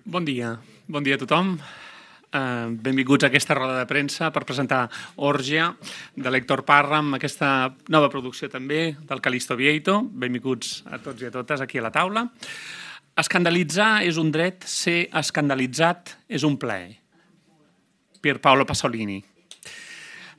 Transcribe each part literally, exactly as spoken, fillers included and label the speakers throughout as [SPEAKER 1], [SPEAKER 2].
[SPEAKER 1] Bon dia, bon dia a tothom. Uh, benvinguts a aquesta roda de premsa per presentar Òrgia, de l'Héctor Parra, amb aquesta nova producció també del Calixto Vieito. Benvinguts a tots i a totes aquí a la taula. Escandalitzar és un dret, ser escandalitzat és un plaer. Pier Paolo Pasolini.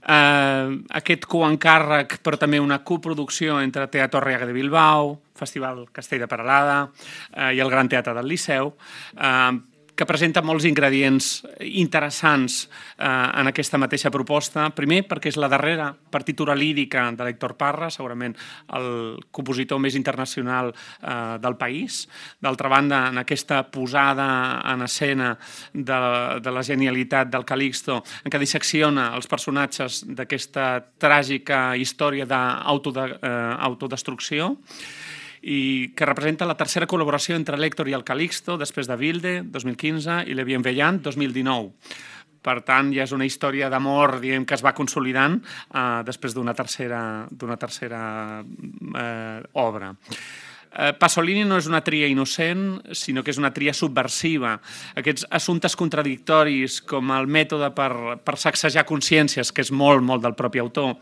[SPEAKER 1] Uh, aquest coencàrrec, però també una coproducció entre Teatro Arriaga de Bilbao, Festival Castell de Peralada uh, i el Gran Teatre del Liceu, uh, que presenta molts ingredients interessants eh, en aquesta mateixa proposta. Primer, perquè és la darrera partitura lírica de l'Héctor Parra, segurament el compositor més internacional eh, del país. D'altra banda, en aquesta posada en escena de, de la genialitat del Calixto, en què dissecciona els personatges d'aquesta tràgica història d'autodestrucció, i que representa la tercera col·laboració entre l'Héctor i el Calixto, després de Wilde, dos mil quinze, i Le Bienveillant, dos mil dinou. Per tant, ja és una història d'amor, diguem, que es va consolidant eh, després d'una tercera, d'una tercera eh, obra. Eh, Pasolini no és una tria innocent, sinó que és una tria subversiva. Aquests assumptes contradictoris, com el mètode per, per sacsejar consciències, que és molt, molt del propi autor,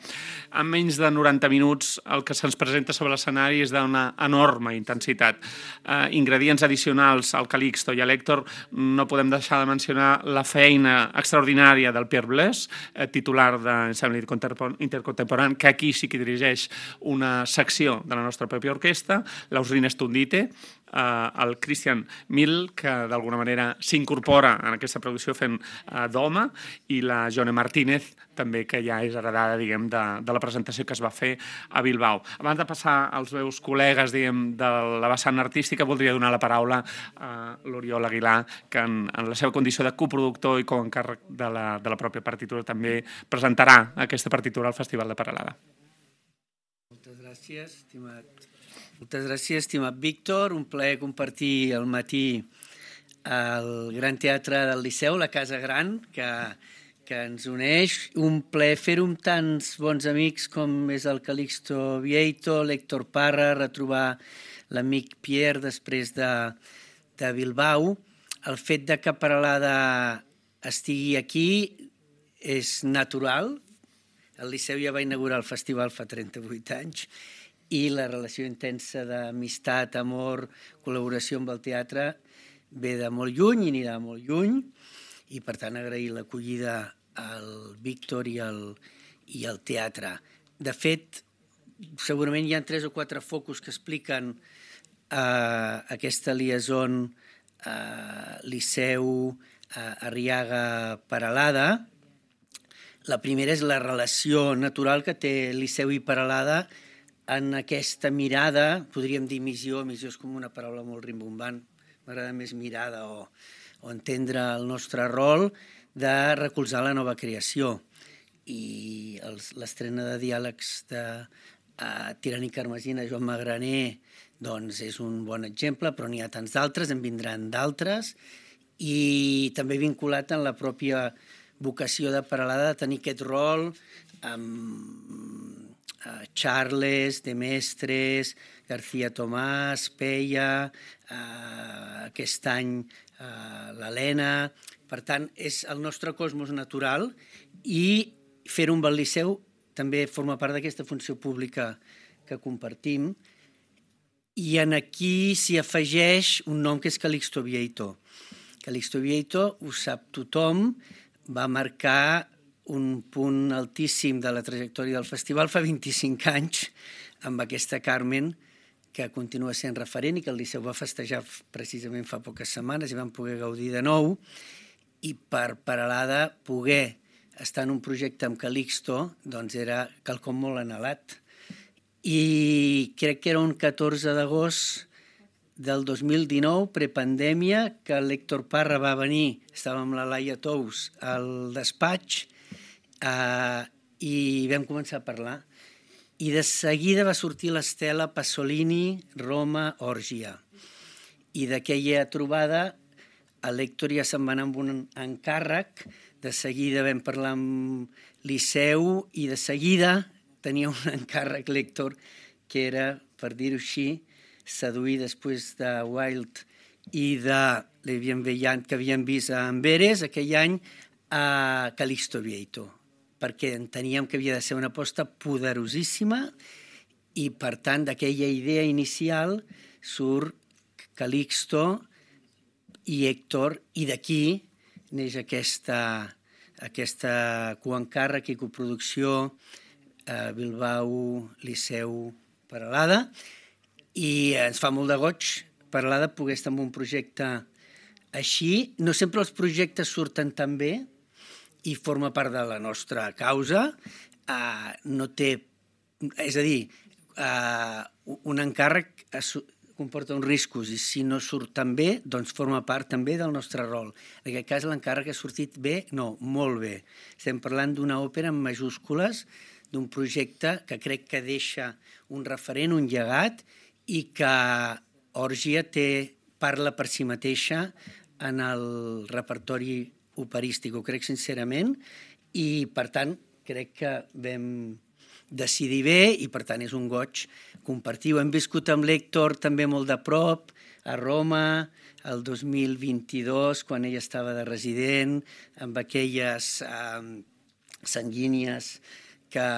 [SPEAKER 1] en menys de noranta minuts el que se'ns presenta sobre l'escenari és d'una enorme intensitat. Eh, ingredients addicionals al Calixto i a l'Héctor, no podem deixar de mencionar la feina extraordinària del Pierre Blaise, eh, titular d'Ensemble Intercontemporani, que aquí sí que dirigeix una secció de la nostra pròpia orquestra, l'Ausrina Stundite, eh, el Christian Mill, que d'alguna manera s'incorpora en aquesta producció fent eh, d'home, i la Jone Martínez, també, que ja és heredada, diguem, de, de la presentació que es va fer a Bilbao. Abans de passar als meus col·legues, diguem, de la vessant artística, voldria donar la paraula a l'Oriol Aguilar, que en, en la seva condició de coproductor i coencàrrec de la, de la pròpia partitura també presentarà aquesta partitura al Festival de Peralada.
[SPEAKER 2] Moltes gràcies, estimat Moltes gràcies, estimat Víctor. Un plaer compartir al matí al Gran Teatre del Liceu, la Casa Gran, que, que ens uneix. Un plaer fer-ho amb tants bons amics com és el Calixto Vieito, l'Héctor Parra, retrobar l'amic Pierre després de, de Bilbao. El fet de que Peralada estigui aquí és natural. El Liceu ja va inaugurar el festival fa trenta-vuit anys, i la relació intensa d'amistat, amor, col·laboració amb el teatre ve de molt lluny i anirà molt lluny, i per tant agrair l'acollida al Víctor i al, i al teatre. De fet, segurament hi ha tres o quatre focus que expliquen eh, aquesta liaison eh, Liceu, eh, Arriaga, Peralada. La primera és la relació natural que té Liceu i Peralada en aquesta mirada, podríem dir missió, missió és com una paraula molt rimbombant, m'agrada més mirada o, o entendre el nostre rol de recolzar la nova creació. I l'estrena de diàlegs de uh, Tirant i Carmesina, Joan Magraner, doncs és un bon exemple, però n'hi ha tants d'altres, en vindran d'altres, i també vinculat en la pròpia vocació de Peralada de tenir aquest rol amb Uh, Charles, De Mestres, García Tomàs, Peia, uh, aquest any uh, l'Helena. Per tant, és el nostre cosmos natural, i fer-ho amb el Liceu també forma part d'aquesta funció pública que compartim. I en aquí s'hi afegeix un nom que és Calixto Vieito. Calixto Vieito, ho sap tothom, va marcar un punt altíssim de la trajectòria del festival fa vint-i-cinc anys, amb aquesta Carmen, que continua sent referent i que el Liceu va festejar precisament fa poques setmanes i vam poder gaudir de nou. I per Peralada poder estar en un projecte amb Calixto doncs era quelcom molt anhelat. I crec que era un catorze d'agost del dos mil dinou, prepandèmia, que l'Héctor Parra va venir, estava amb la Laia Tous al despatx, Uh, i vam començar a parlar, i de seguida va sortir l'estela Pasolini, Roma, Òrgia, i d'aquella trobada l'Héctor ja se'n va anar amb un encàrrec, de seguida vam parlar amb Liceu, i de seguida tenia un encàrrec l'Héctor que era, per dir-ho així, seduir després de Wilde i de l'Evian Veillant que havíem vist a Amberes aquell any a Calixto Vieito, perquè enteníem que havia de ser una aposta poderosíssima i, per tant, d'aquella idea inicial surt Calixto i Héctor, i d'aquí neix aquesta, aquesta coencàrrec i coproducció a Bilbao, Liceu, Peralada, i ens fa molt de goig Peralada poder estar en un projecte així. No sempre els projectes surten tan bé i forma part de la nostra causa. Uh, no té... És a dir, uh, un encàrrec comporta uns riscos i si no surt tan bé, doncs forma part també del nostre rol. En aquest cas l'encàrrec ha sortit bé? No, molt bé. Estem parlant d'una òpera en majúscules, d'un projecte que crec que deixa un referent, un llegat, i que Òrgia té, parla per si mateixa en el repertori operístic, ho crec sincerament, i per tant crec que vam decidir bé i per tant és un goig compartir. Ho hem viscut amb l'Héctor també molt de prop, a Roma, el dos mil vint-i-dos, quan ella estava de resident, amb aquelles eh, sanguínies que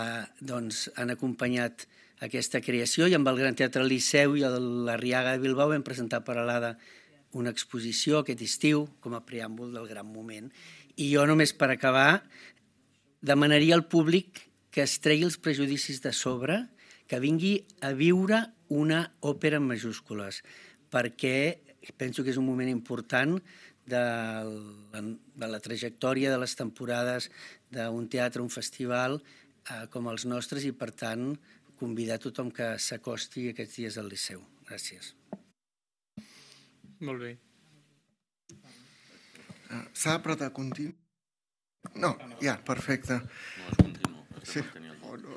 [SPEAKER 2] doncs, han acompanyat aquesta creació, i amb el Gran Teatre Liceu i l'Arriaga de Bilbao vam presentar a Peralada una exposició aquest estiu com a preàmbul del gran moment. I jo només per acabar demanaria al públic que es tregui els prejudicis de sobre, que vingui a viure una òpera en majúscules, perquè penso que és un moment important de la, de la trajectòria de les temporades d'un teatre, un festival eh, com els nostres, i per tant convidar tothom que s'acosti aquests dies al Liceu. Gràcies.
[SPEAKER 1] Molt bé.
[SPEAKER 3] Uh, S'ha però de continu? No, ja, perfecte.
[SPEAKER 4] No, és continu.
[SPEAKER 3] Sí. Oh, no.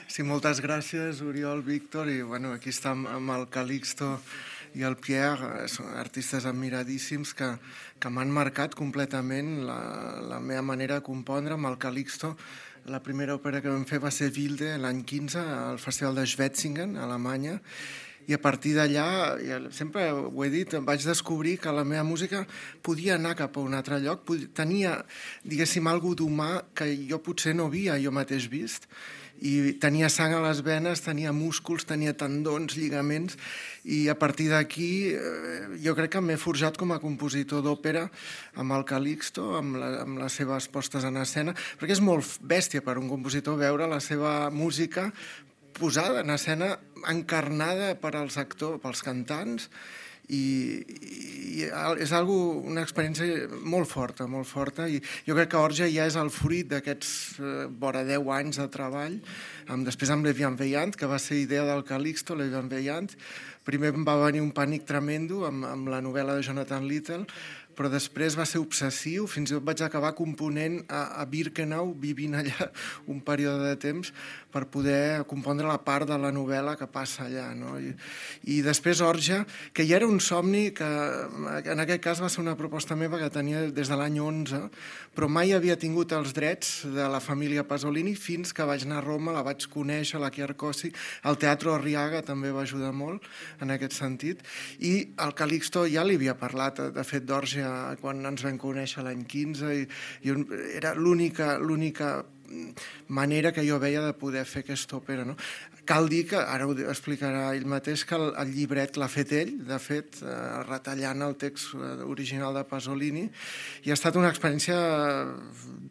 [SPEAKER 3] Sí, moltes gràcies, Oriol, Víctor, i bueno, aquí està amb el Calixto i el Pierre, són artistes admiradíssims que, que m'han marcat completament la, la meva manera de compondre. Amb el Calixto, la primera òpera que vam fer va ser Wilde l'any quinze al Festival de Schwetzingen, a Alemanya, i a partir d'allà, sempre ho he dit, vaig descobrir que la meva música podia anar cap a un altre lloc, tenia, diguéssim, alguna cosa d'humà que jo potser no havia jo mateix vist, i tenia sang a les venes, tenia músculs, tenia tendons, lligaments, i a partir d'aquí jo crec que m'he forjat com a compositor d'òpera amb el Calixto, amb, la, amb les seves postes en escena, perquè és molt bèstia per un compositor veure la seva música posada en escena, encarnada per als actors, pels cantants, i, i és algo, una experiència molt forta, molt forta, i jo crec que Òrgia ja és el fruit d'aquests eh, vora deu anys de treball, amb, després amb l'Evian Veillant, que va ser idea del Calixto, l'Evian Veillant. Primer em va venir un pànic tremendo amb, amb la novel·la de Jonathan Little, però després va ser obsessiu, fins i tot vaig acabar component a, a Birkenau, vivint allà un període de temps, per poder compondre la part de la novel·la que passa allà, no? I, i després Òrgia, que ja era un somni, que en aquest cas va ser una proposta meva que tenia des de l'any onze, però mai havia tingut els drets de la família Pasolini fins que vaig anar a Roma, la vaig conèixer, la Chiarcosi, el Teatro Arriaga també va ajudar molt en aquest sentit, i el Calixto ja li havia parlat, de fet, d'Òrgia quan ens vam conèixer l'any quinze, i, i era l'única l'única manera que jo veia de poder fer aquesta òpera, no? Cal dir que, ara ho explicarà ell mateix, que el, el llibret l'ha fet ell, de fet, eh, retallant el text original de Pasolini, i ha estat una experiència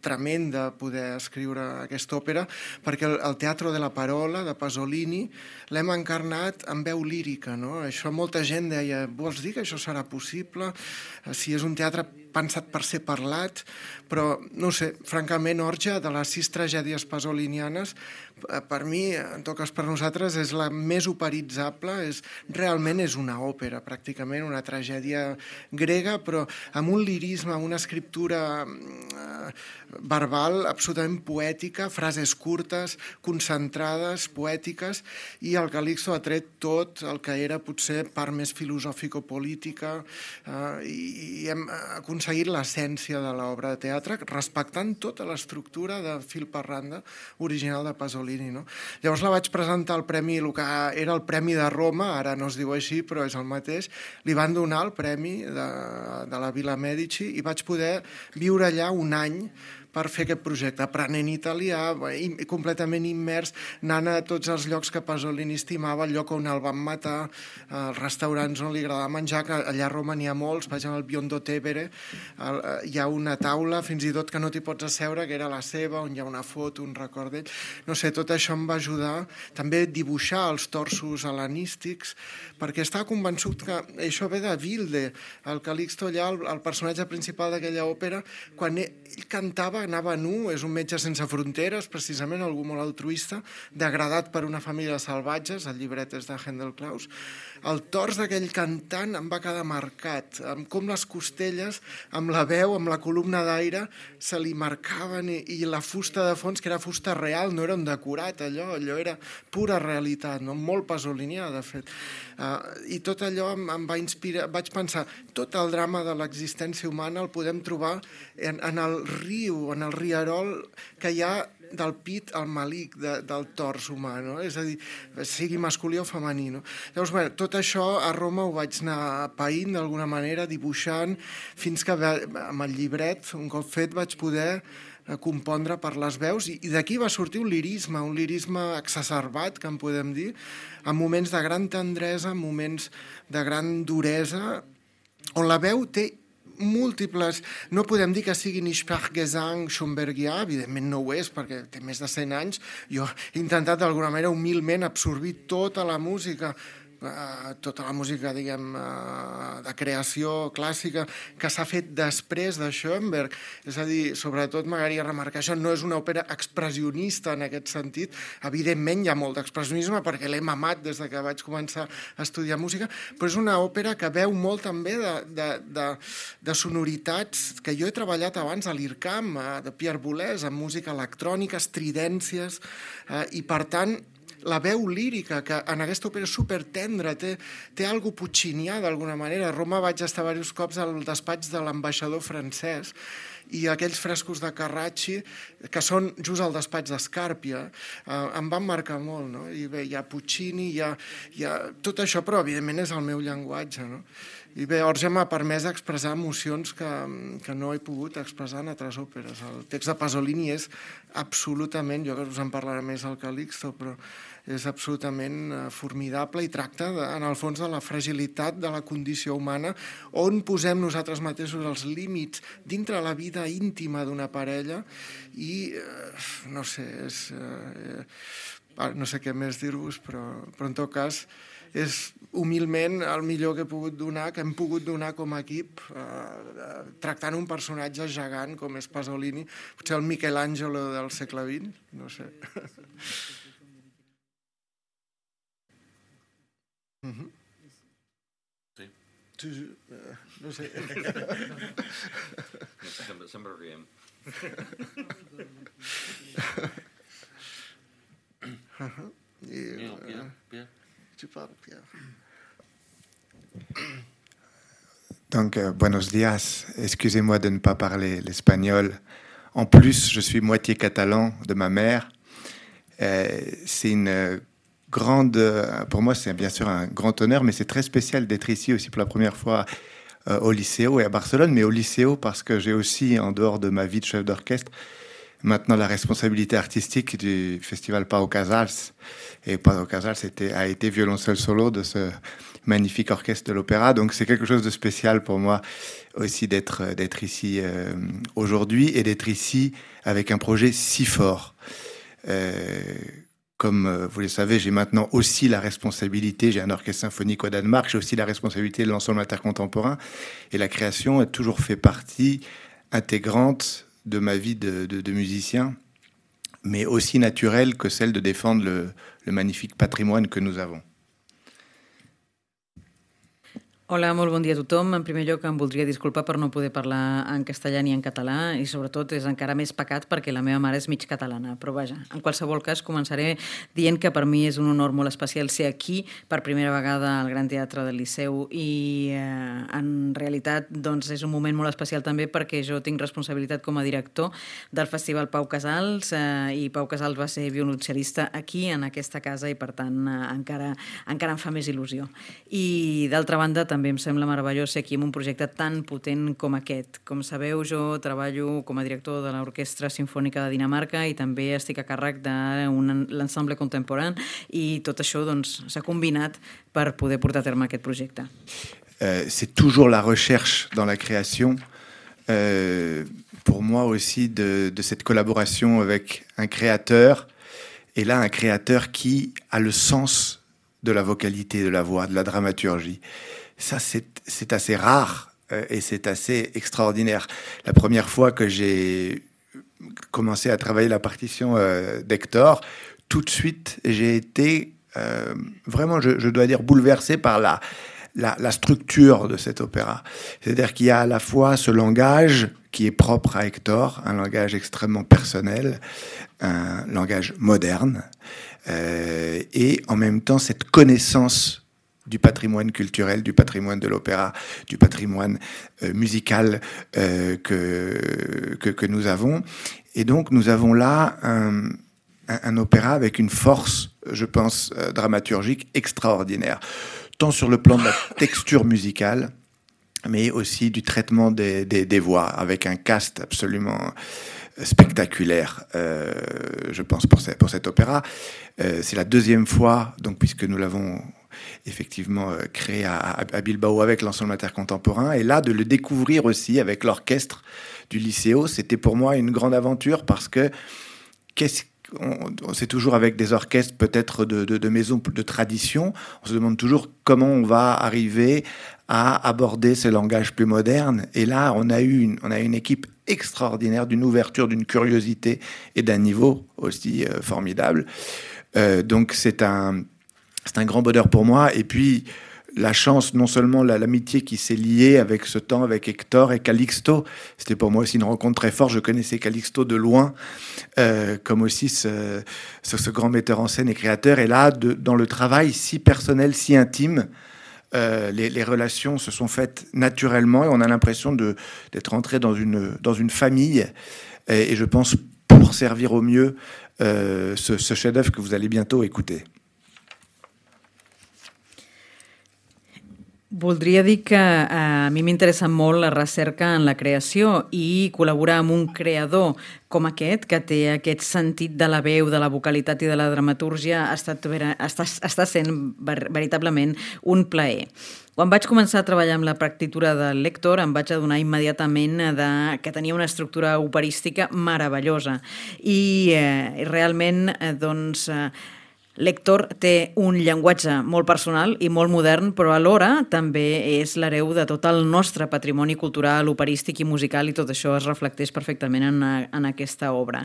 [SPEAKER 3] tremenda poder escriure aquesta òpera, perquè el, el Teatro de la Parola de Pasolini l'hem encarnat en veu lírica, no? Això molta gent deia, vols dir que això serà possible? Si és un teatre pensat per ser parlat, però, no sé, francament, Òrgia, de les sis tragèdies pasolinianes, per mi, en tot cas per nosaltres, és la més operitzable, és, realment és una òpera, pràcticament, una tragèdia grega, però amb un lirisme, amb una escriptura eh, verbal absolutament poètica, frases curtes, concentrades, poètiques, i el Calixto ha tret tot el que era potser part més filosòfico-política, eh, i, i hem aconseguit l'essència de l'obra de teatre, respectant tota l'estructura de fil per randa banda original de Pasolini, no? Llavors la vaig presentar al premi, el que era el Premi de Roma, ara no es diu així, però és el mateix. Li van donar el premi de, de la Villa Medici i vaig poder viure allà un any per fer aquest projecte, aprenent italià, completament immers, anant a tots els llocs que Pasolini estimava, el lloc on el van matar, els restaurants on li agradava menjar, que allà a Roma n'hi ha molts, vaig al Biondo Tevere, hi ha una taula, fins i tot que no t'hi pots asseure, que era la seva, on hi ha una foto, un record d'ell. No sé, tot això em va ajudar també a dibuixar els torsos hel·lenístics, perquè estava convençut que això ve de Wilde, el Calixto allà, el, el personatge principal d'aquella òpera, quan ell cantava anava nu, és un metge sense fronteres, precisament algú molt altruista, degradat per una família de salvatges, el llibret és de Handel Klaus. El tors d'aquell cantant em va quedar marcat, amb com les costelles, amb la veu, amb la columna d'aire, se li marcaven i, i la fusta de fons, que era fusta real, no era un decorat, allò, allò era pura realitat, no? Molt pasolinià, de fet. Uh, I tot allò em, em va inspirar, vaig pensar, tot el drama de l'existència humana el podem trobar en, en el riu, en el rierol que hi ha del pit al malic de, del tors humà, no? És a dir, sigui masculí o femení, no? Llavors, bé, tot això a Roma ho vaig anar païnt d'alguna manera, dibuixant, fins que amb el llibret, un cop fet, vaig poder compondre per les veus, i, i d'aquí va sortir un lirisme, un lirisme exacerbat, que en podem dir, en moments de gran tendresa, en moments de gran duresa, on la veu té múltiples, no podem dir que siguin Sprachgesang schombergià, evidentment no ho és, perquè té més de cent anys. Jo he intentat d'alguna manera humilment absorbir tota la música, Uh, tota la música, diguem, uh, de creació clàssica que s'ha fet després de Schoenberg. És a dir, sobretot m'agradaria remarcar això, no és una òpera expressionista en aquest sentit. Evidentment hi ha molt d'expressionisme perquè l'he mamat des de que vaig començar a estudiar música, però és una òpera que veu molt també de, de, de, de sonoritats que jo he treballat abans a l'I R C A M, de Pierre Boulez, amb música electrònica, estridències, uh, i per tant la veu lírica, que en aquesta òpera és supertendra, té, té algo puccinià d'alguna manera. A Roma vaig estar diversos cops al despatx de l'ambaixador francès i aquells frescos de Carracci, que són just al despatx d'Escàrpia, eh, em van marcar molt, no? I bé, hi ha Puccini, hi ha, hi ha tot això, però evidentment és el meu llenguatge, no? I bé, Orge m'ha permès expressar emocions que, que no he pogut expressar en altres òperes. El text de Pasolini és absolutament, jo que us en parlaré més al Calixto, però és absolutament formidable i tracta, de, en el fons, de la fragilitat de la condició humana, on posem nosaltres mateixos els límits dintre la vida íntima d'una parella i, eh, no sé, és, eh, no sé què més dir-vos, però, però en tot cas és humilment el millor que he pogut donar, que hem pogut donar com a equip, eh, tractant un personatge gegant com és Pasolini, potser el Michelangelo del segle vint, no sé. Uh-huh.
[SPEAKER 4] Sí.
[SPEAKER 3] Sí, sí, eh, no sé.
[SPEAKER 4] Sempre, sempre riem.
[SPEAKER 3] Uh-huh. I,
[SPEAKER 4] Pierre, Pierre, Pierre.
[SPEAKER 3] Tu parles, Pierre.
[SPEAKER 5] Donc, euh, buenos días. Excusez-moi de ne pas parler l'espagnol. En plus, je suis moitié catalan de ma mère. Euh, c'est une grande... Pour moi, c'est bien sûr un grand honneur, mais c'est très spécial d'être ici aussi pour la première fois euh, au Liceo et à Barcelone, mais au Liceo parce que j'ai aussi, en dehors de ma vie de chef d'orchestre, maintenant la responsabilité artistique du festival Pau Casals. Et Pau Casals était, a été violoncelle solo de ce magnifique orchestre de l'opéra. Donc c'est quelque chose de spécial pour moi aussi d'être, d'être ici euh, aujourd'hui et d'être ici avec un projet si fort. Euh, comme vous le savez, j'ai maintenant aussi la responsabilité, j'ai un orchestre symphonique au Danemark, j'ai aussi la responsabilité de l'ensemble intercontemporain. Et la création a toujours fait partie intégrante de ma vie de, de, de musicien, mais aussi naturelle que celle de défendre le, le magnifique patrimoine que nous avons.
[SPEAKER 6] Hola, molt bon dia a tothom. En primer lloc em voldria disculpar per no poder parlar en castellà ni en català i sobretot és encara més pecat perquè la meva mare és mig catalana, però vaja, en qualsevol cas començaré dient que per mi és un honor molt especial ser aquí per primera vegada al Gran Teatre del Liceu i eh, en realitat doncs, és un moment molt especial també perquè jo tinc responsabilitat com a director del Festival Pau Casals eh, i Pau Casals va ser violoncel·lista aquí en aquesta casa i per tant eh, encara, encara em fa més il·lusió. I d'altra banda també també em sembla meravellós ser aquí en un projecte tan potent com aquest. Com sabeu, jo treballo com a director de l'Orquestra Simfònica de Dinamarca i també estic a càrrec de l'ensemble contemporani i tot això doncs, s'ha combinat per poder portar a terme aquest projecte.
[SPEAKER 5] Euh, c'est toujours la recherche dans la création, euh, pour moi aussi, de, de cette collaboration avec un créateur, et là un créateur qui a le sens de la vocalité, de la voix, de la dramaturgie. Ça, c'est, c'est assez rare euh, et c'est assez extraordinaire. La première fois que j'ai commencé à travailler la partition euh, d'Hector, tout de suite, j'ai été euh, vraiment, je, je dois dire, bouleversé par la, la, la structure de cet opéra. C'est-à-dire qu'il y a à la fois ce langage qui est propre à Hector, un langage extrêmement personnel, un langage moderne, euh, et en même temps cette connaissance du patrimoine culturel, du patrimoine de l'opéra, du patrimoine euh, musical euh, que, que, que nous avons. Et donc, nous avons là un, un, un opéra avec une force, je pense, euh, dramaturgique extraordinaire, tant sur le plan de la texture musicale, mais aussi du traitement des, des, des voix, avec un cast absolument spectaculaire, euh, je pense, pour, ce, pour cet opéra. Euh, c'est la deuxième fois, donc, puisque nous l'avons effectivement euh, créé à, à Bilbao avec l'ensemble intercontemporain, et là de le découvrir aussi avec l'orchestre du Liceo, c'était pour moi une grande aventure parce que qu'est-ce on, on, c'est toujours avec des orchestres peut-être de, de, de maisons de tradition, on se demande toujours comment on va arriver à aborder ce langage plus moderne, et là on a eu une, on a une équipe extraordinaire, d'une ouverture, d'une curiosité et d'un niveau aussi euh, formidable. Euh, donc c'est un C'est un grand bonheur pour moi. Et puis, la chance, non seulement la, l'amitié qui s'est liée avec ce temps, avec Hector et Calixto. C'était pour moi aussi une rencontre très forte. Je connaissais Calixto de loin, euh, comme aussi ce, ce, ce grand metteur en scène et créateur. Et là, de, dans le travail si personnel, si intime, euh, les, les relations se sont faites naturellement. Et on a l'impression de, d'être entré dans une, dans une famille. Et, et je pense pour servir au mieux euh, ce, ce chef-d'œuvre que vous allez bientôt écouter.
[SPEAKER 6] Voldria dir que a mi m'interessa molt la recerca en la creació i col·laborar amb un creador com aquest, que té aquest sentit de la veu, de la vocalitat i de la dramatúrgia, ha estat, està, està sent veritablement un plaer. Quan vaig començar a treballar amb la partitura del Hector em vaig adonar immediatament de, que tenia una estructura operística meravellosa i eh, realment eh, doncs, eh, l'Hector té un llenguatge molt personal i molt modern, però alhora també és l'hereu de tot el nostre patrimoni cultural, operístic i musical, i tot això es reflecteix perfectament en, en aquesta obra.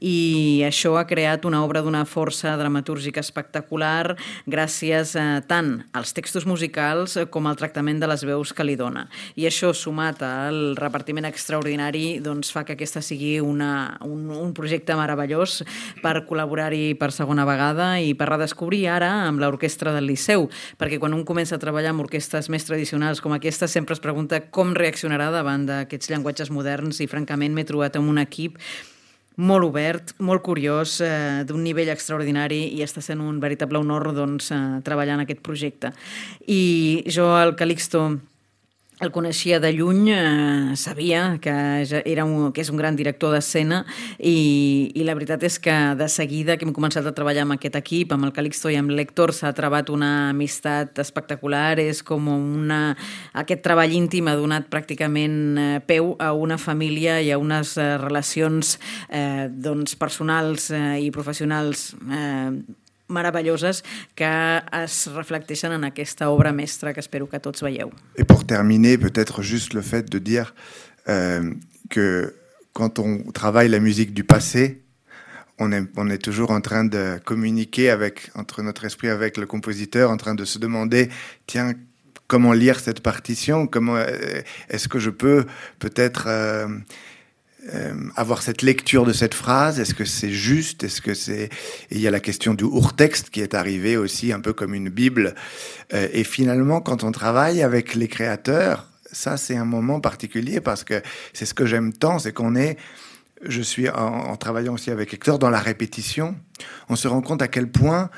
[SPEAKER 6] I això ha creat una obra d'una força dramatúrgica espectacular gràcies eh, tant als textos musicals com al tractament de les veus que li dona. I això, sumat al repartiment extraordinari, doncs fa que aquesta sigui una, un, un projecte meravellós per col·laborar-hi per segona vegada i per redescobrir ara amb l'orquestra del Liceu, perquè quan un comença a treballar amb orquestres més tradicionals com aquesta sempre es pregunta com reaccionarà davant d'aquests llenguatges moderns i francament m'he trobat amb un equip molt obert, molt curiós, eh, d'un nivell extraordinari i està sent un veritable honor doncs, eh, treballar en aquest projecte. I jo al Calixto el coneixia de lluny, eh, sabia que, era un, que és un gran director d'escena i, i la veritat és que de seguida que hem començat a treballar amb aquest equip, amb el Calixto i amb l'Hector, s'ha trobat una amistat espectacular, és com una, aquest treball íntim ha donat pràcticament eh, peu a una família i a unes eh, relacions eh, doncs, personals eh, i professionals eh, meravelloses que es reflecteixen en aquesta obra mestra que espero que tots veieu.
[SPEAKER 5] Et pour terminer, peut-être juste le fait de dire euh, que quand on travaille la musique du passé, on est, on est toujours en train de communiquer avec, entre notre esprit avec le compositeur, en train de se demander, tiens, comment lire cette partition, comment euh, est-ce que je peux peut-être euh, euh, avoir cette lecture de cette phrase, est-ce que c'est juste, est-ce que c'est... Et il y a la question du Urtext qui est arrivé aussi un peu comme une Bible. Euh, et finalement, quand on travaille avec les créateurs, ça c'est un moment particulier parce que c'est ce que j'aime tant, c'est qu'on est... Je suis, en, en travaillant aussi avec Hector, dans la répétition, on se rend compte à quel point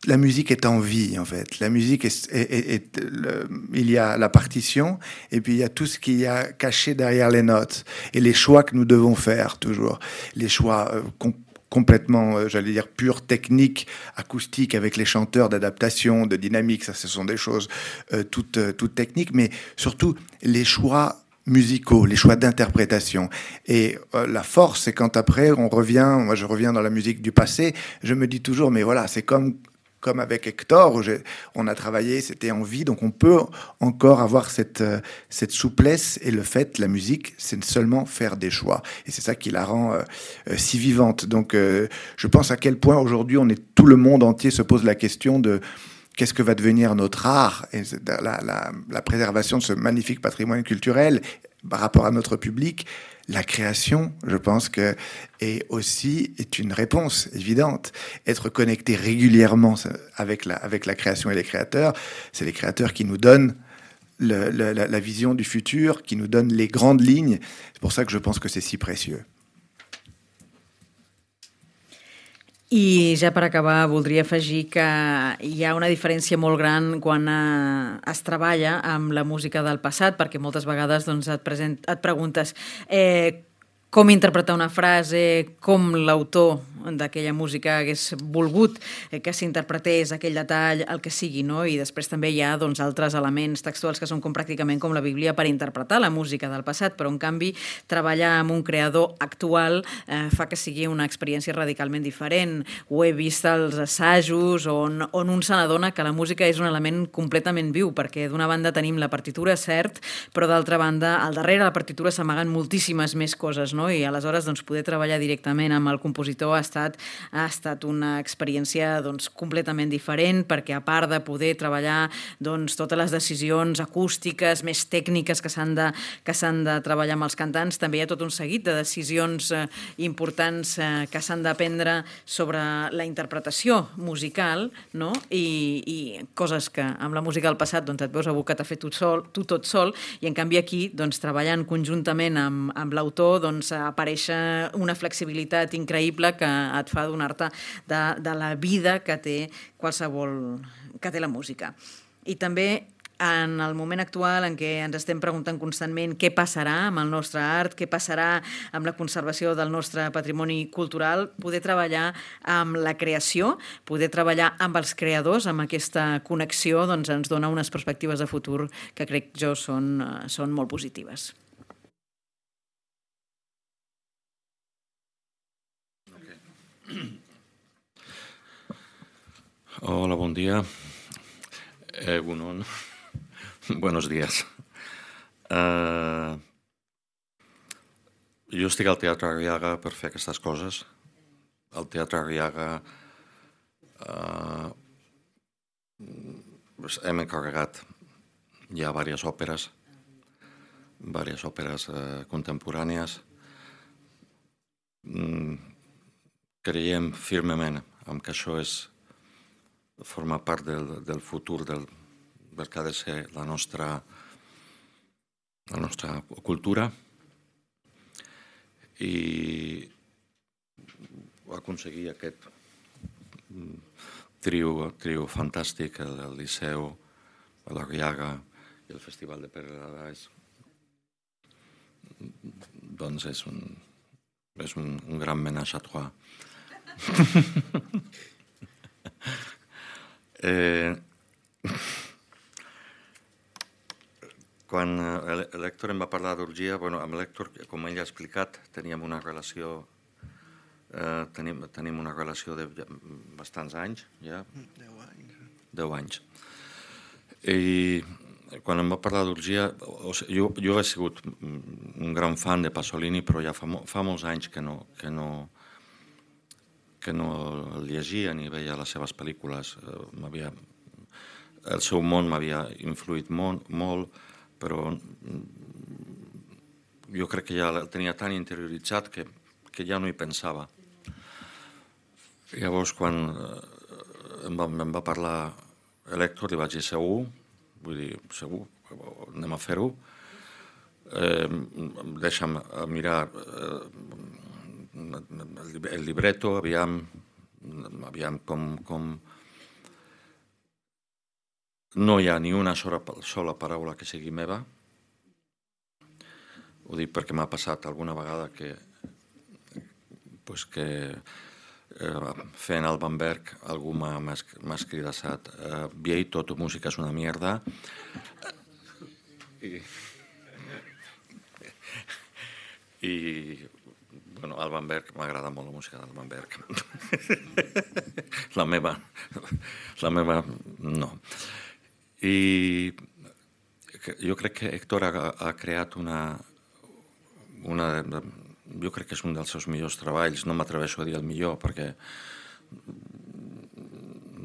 [SPEAKER 5] la musique est en vie, en fait. La musique, est, est, est, est le, il y a la partition, et puis il y a tout ce qu'il y a caché derrière les notes, et les choix que nous devons faire, toujours. Les choix euh, com- complètement, euh, j'allais dire, purs, techniques, acoustiques, avec les chanteurs, d'adaptation, de dynamique, ça, ce sont des choses euh, toutes, euh, toutes techniques, mais surtout, les choix musicaux, les choix d'interprétation. Et euh, la force, c'est quand après, on revient, moi je reviens dans la musique du passé, je me dis toujours, mais voilà, c'est comme, comme avec Hector, où on a travaillé, c'était en vie, donc on peut encore avoir cette, euh, cette souplesse, et le fait, la musique, c'est seulement faire des choix. Et c'est ça qui la rend euh, euh, si vivante. Donc euh, je pense à quel point aujourd'hui, on est, tout le monde entier se pose la question de qu'est-ce que va devenir notre art et la, la, la préservation de ce magnifique patrimoine culturel par rapport à notre public. La création, je pense que est aussi est une réponse évidente. Être connecté régulièrement avec la, avec la création et les créateurs, c'est les créateurs qui nous donnent le, le, la, la vision du futur, qui nous donnent les grandes lignes. C'est pour ça que je pense que c'est si précieux.
[SPEAKER 6] I ja per acabar voldria afegir que hi ha una diferència molt gran quan eh, es treballa amb la música del passat, perquè moltes vegades doncs, et, present, et preguntes eh, com interpretar una frase, com l'autor d'aquella música hagués volgut que s'interpretés aquell detall, el que sigui, no? I després també hi ha doncs, altres elements textuals que són com pràcticament com la Bíblia per interpretar la música del passat, però en canvi treballar amb un creador actual eh, fa que sigui una experiència radicalment diferent. Ho he vist als assajos on, on un se n'adona que la música és un element completament viu, perquè d'una banda tenim la partitura, cert, però d'altra banda al darrere de la partitura s'amaguen moltíssimes més coses, no? I aleshores doncs, poder treballar directament amb el compositor ha estat ha estat una experiència doncs, completament diferent, perquè a part de poder treballar doncs, totes les decisions acústiques més tècniques que s'han de, que s'han de treballar amb els cantants, també hi ha tot un seguit de decisions eh, importants eh, que s'han de prendre sobre la interpretació musical, no? I, i coses que amb la música del passat doncs, et veus abocat a fer tu, sol, tu tot sol, i en canvi aquí doncs, treballant conjuntament amb, amb l'autor doncs, apareix una flexibilitat increïble que et fa adonar-te de, de la vida que té qualsevol, que té la música. I també en el moment actual en què ens estem preguntant constantment què passarà amb el nostre art, què passarà amb la conservació del nostre patrimoni cultural, poder treballar amb la creació, poder treballar amb els creadors, amb aquesta connexió, doncs ens dona unes perspectives de futur que crec jo són, són molt positives.
[SPEAKER 4] Hola, bon dia. Eh, bueno, buenos días. Uh, jo estic al Teatre Arriaga per fer aquestes coses. Al Teatre Arriaga uh, hem encarregat ja diverses òperes, diverses òperes uh, contemporànies. Mm, creiem firmement en que això és formar part del, del futur del, del que ha de ser la nostra, la nostra cultura, i aconseguir aquest trio, trio fantàstic, el, el Liceu, l'Arriaga i el Festival de Perelades, doncs és un, és un, un gran ménage à trois. eh, quan l'Hèctor em va parlar d'orgia, bueno, amb l'Hèctor, com ell ha explicat, teníem una relació eh, tenim, tenim una relació de bastants anys, ja.
[SPEAKER 3] Deu anys.
[SPEAKER 4] Deu anys. I quan em va parlar d'orgia, o sigui, jo, jo he sigut un gran fan de Pasolini, però ja fa, fa molts anys que no, que no, que no el llegia ni veia les seves pel·lícules. M'havia el seu món m'havia influït molt, molt, però jo crec que ja el tenia tan interioritzat que, que ja no hi pensava. Llavors, quan em va, em va parlar Elector, li vaig dir segur, vull dir, segur, anem a fer-ho. Eh, deixa'm mirar eh, el libreto, aviam, aviam com, com... No hi ha ni una sola, sola paraula que sigui meva. Ho dic perquè m'ha passat alguna vegada que, pues que eh, fent el Bamberg algú m'ha escridassat eh, Vieito, tu música és una mierda. I, i bueno, el Bamberg, m'agrada molt la música del Bamberg. La meva, la meva no. I jo crec que Héctor ha, ha creat una, una... Jo crec que és un dels seus millors treballs, no m'atreveixo a dir el millor, perquè...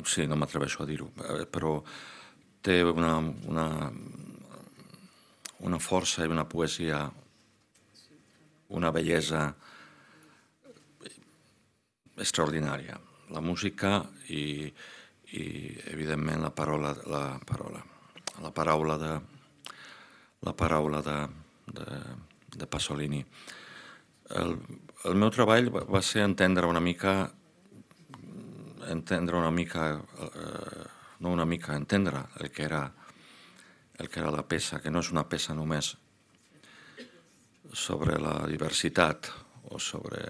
[SPEAKER 4] Sí, no m'atreveixo a dir-ho, però té una, una, una força i una poesia, una bellesa extraordinària. La música i... i evidentment la paraula la paraula la paraula de la paraula de, de, de Pasolini. El, el meu treball va ser entendre una mica entendre una mica eh, no una mica, entendre el que era el que era la peça, que no és una peça només sobre la diversitat o sobre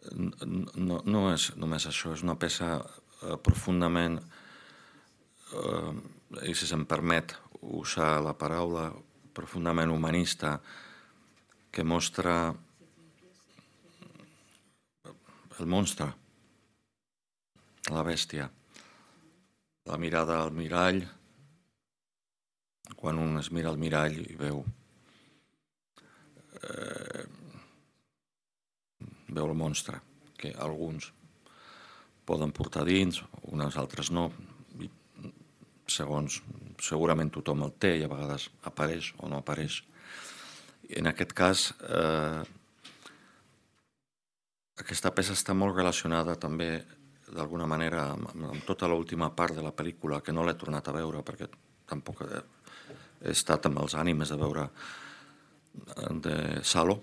[SPEAKER 4] No, no és només això, és una peça eh, profundament, eh, i si se'm permet usar la paraula, profundament humanista, que mostra el monstre, la bèstia, la mirada al mirall, quan un es mira al mirall i veu eh, veu el monstre, que alguns poden portar dins, unes altres no, i segons, segurament tothom el té i a vegades apareix o no apareix. I en aquest cas, eh, aquesta peça està molt relacionada també, d'alguna manera, amb, amb tota l'última part de la pel·lícula, que no l'he tornat a veure, perquè tampoc he, he estat amb els ànimes de veure de Salo,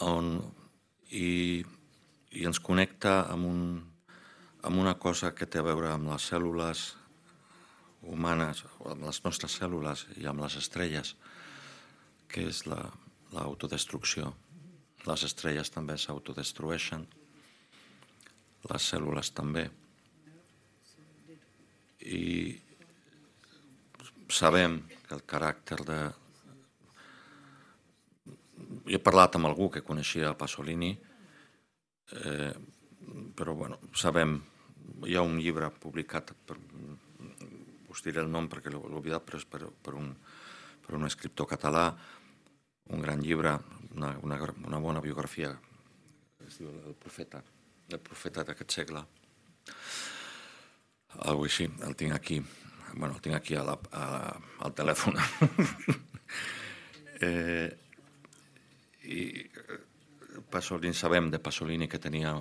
[SPEAKER 4] on i, i ens connecta amb, un, amb una cosa que té a veure amb les cèl·lules humanes, amb les nostres cèl·lules i amb les estrelles, que és l'autodestrucció. Les estrelles també s'autodestrueixen, les cèl·lules també. I sabem que el caràcter de... Jo he parlat amb algú que coneixia Pasolini, eh, però bueno, sabem, hi ha un llibre publicat, per, us diré el nom perquè l'he oblidat, però és per, per, un, per un escriptor català, un gran llibre, una, una, una bona biografia, es diu El profeta, el profeta d'aquest segle. Algo així, el tinc aquí, bueno, el tinc aquí a la, a, al telèfon. eh, I Pasolini, sabem de Pasolini que tenia,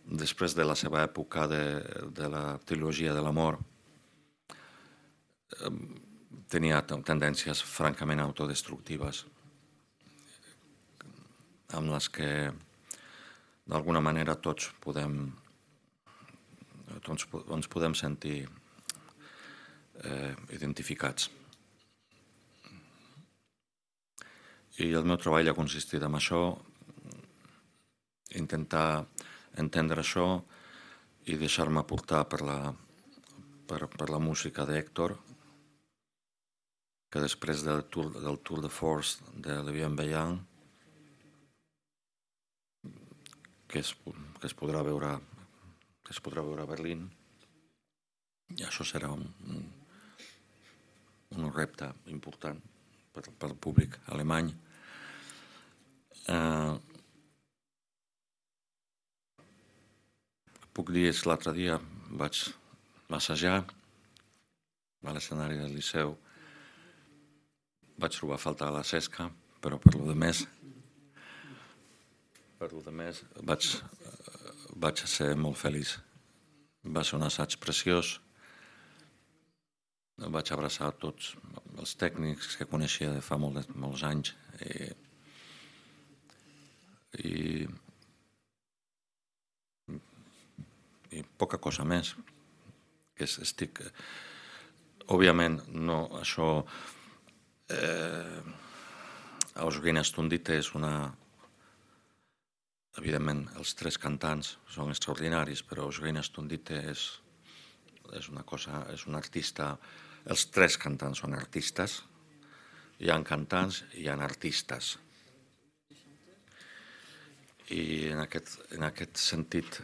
[SPEAKER 4] després de la seva època de, de la trilogia de l'amor, tenia tendències francament autodestructives, amb les que d'alguna manera tots podem tots ens podem sentir eh, identificats. I el meu treball ha consistit en això, intentar entendre això i deixar-me portar per la, per, per la música d'Héctor, que després del Tour, del Tour de Force de Le Bienveillant, que es, que es podrà veure que es podrà veure a Berlín, i això serà un, un, un repte important per, per al públic alemany. Uh, puc dir és l'altre dia vaig assajar a l'escenari del Liceu. Vaig trobar a faltar la Cesca, però per lo de més, per lo de més vaig, vaig ser molt feliç. Va ser un assaig preciós. Vaig abraçar tots els tècnics que coneixia de fa molt, molts anys i, i, i poca cosa més. Que estic... Òbviament, no, això... Eh, Eugenia Stundite és una... Evidentment, els tres cantants són extraordinaris, però Eugenia Stundite és, és una cosa, és un artista... Els tres cantants són artistes. Hi ha cantants i hi ha artistes. I en aquest, en aquest sentit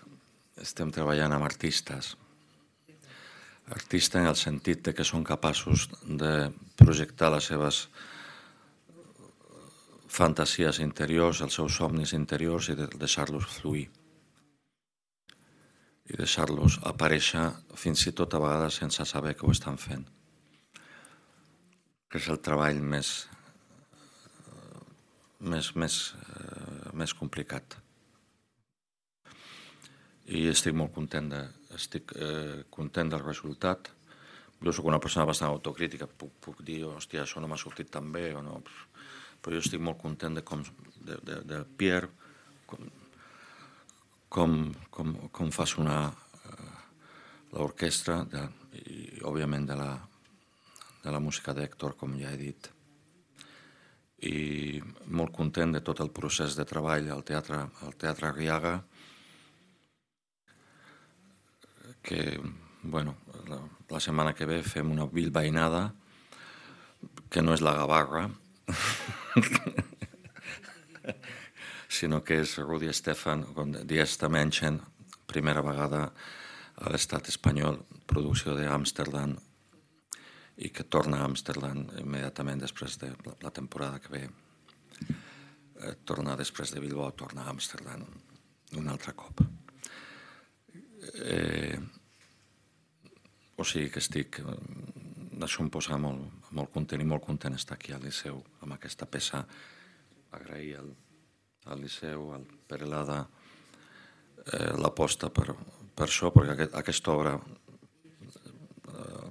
[SPEAKER 4] estem treballant amb artistes. Artistes en el sentit de que són capaços de projectar les seves fantasies interiors, els seus somnis interiors i de deixar-los fluir. I deixar-los aparèixer fins i tot a vegades sense saber que ho estan fent. Que és el treball més, més, més, més complicat. I estic molt content, de, estic, eh, content del resultat. Jo soc una persona bastant autocrítica, puc, puc dir, hòstia, això no m'ha sortit tan bé, o no, però jo estic molt content de com, de, de, de Pierre, com, com, com, com fa sonar eh, l'orquestra, i òbviament de la, de la música d'Héctor, com ja he dit. I molt content de tot el procés de treball al Teatre, al Teatre Arriaga, que, bueno, la, la setmana que ve fem una bilbainada, que no és la Gavarra, sinó que és Rudi Stefan, Die erste Menschen, primera vegada a l'estat espanyol, producció d'Amsterdam, i que torna a Amsterdam immediatament després de la temporada que ve. Eh, torna després de Bilbao, torna a Amsterdam un altre cop. Eh, o sigui que estic... Això em posa molt, molt content i molt content estar aquí al Liceu amb aquesta peça. Agrair al, al Liceu, al Perelada, eh, l'aposta per, per això, perquè aquest, aquesta obra eh,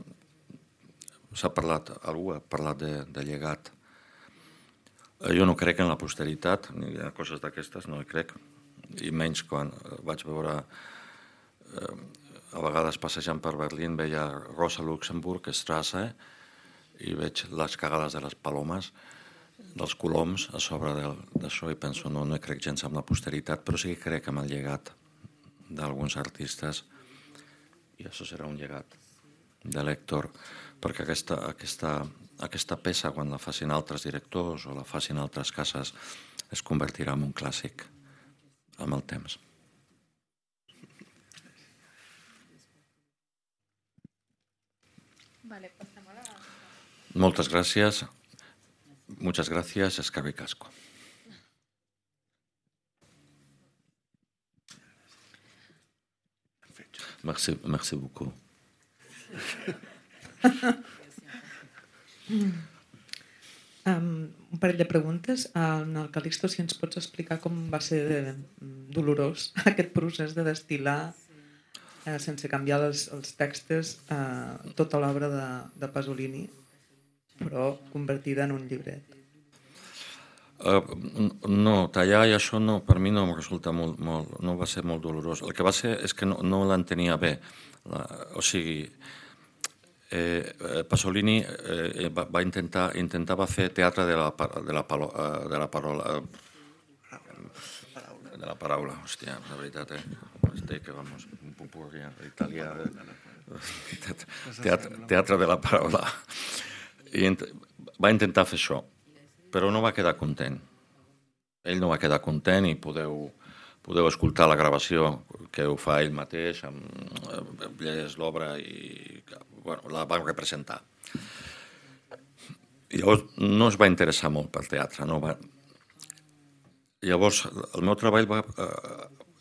[SPEAKER 4] s'ha parlat, algú ha parlat de, de llegat. Jo no crec en la posteritat, ni en coses d'aquestes, no hi crec, i menys quan vaig veure, eh, a vegades passejant per Berlín, veia Rosa Luxemburg, Strasse, i veig les cagades de les palomes, dels coloms a sobre d'això, i penso, no, no crec gens en la posteritat, però sí que crec en el llegat d'alguns artistes, i això serà un llegat de l'Héctor, perquè aquesta, aquesta, aquesta peça, quan la facin altres directors o la facin altres cases, es convertirà en un clàssic amb el temps.
[SPEAKER 7] Vale, passem a la...
[SPEAKER 4] Moltes gràcies. Muchas gracias, eskerrik asko. Merci, merci beaucoup.
[SPEAKER 8] Um, un parell de preguntes. En el Calixto, si ens pots explicar com va ser de, dolorós aquest procés de destil·lar eh, sense canviar els, els textos eh, tota l'obra de, de Pasolini, però convertida en un llibret.
[SPEAKER 4] Uh, no, tallar i això no, per mi no em resulta molt, molt, no va ser molt dolorós. El que va ser és que no, no l'entenia bé. La, o sigui, eh, Pasolini eh, va, va intentar, intentava fer teatre de la, de la, palo, de la parola, de la paraula, hòstia, la veritat, eh? Estic, vamos, un popurri italià, teatre, teatre de la paraula. I int, va intentar fer això, però no va quedar content. Ell no va quedar content i podeu, podeu escoltar la gravació que ho fa ell mateix, amb llegeix l'obra i bueno, la va representar. Llavors no es va interessar molt pel teatre. No va... Llavors el meu treball va,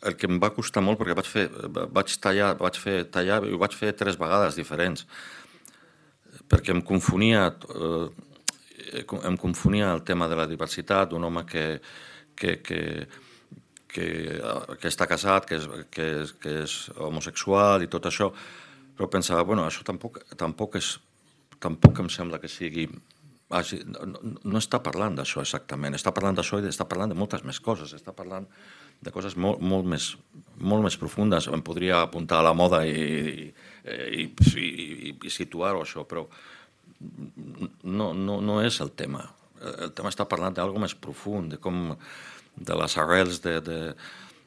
[SPEAKER 4] el que em va costar molt, perquè vaig fer, vaig tallar, vaig fer tallar, i ho vaig fer tres vegades diferents, perquè em confonia, eh, em confonia el tema de la diversitat, d'un home que, que, que, que, que està casat, que és, que, és, que és homosexual i tot això, però pensava, bueno, això tampoc, tampoc, és, tampoc em sembla que sigui... No, no està parlant d'això exactament, està parlant d'això i està parlant de moltes més coses, està parlant de coses molt, molt, més, molt més profundes. Em podria apuntar a la moda i, i, i, i, i situar-ho això, però no, no, no és el tema. El tema està parlant d'algo més profund, de com de les arrels de, de,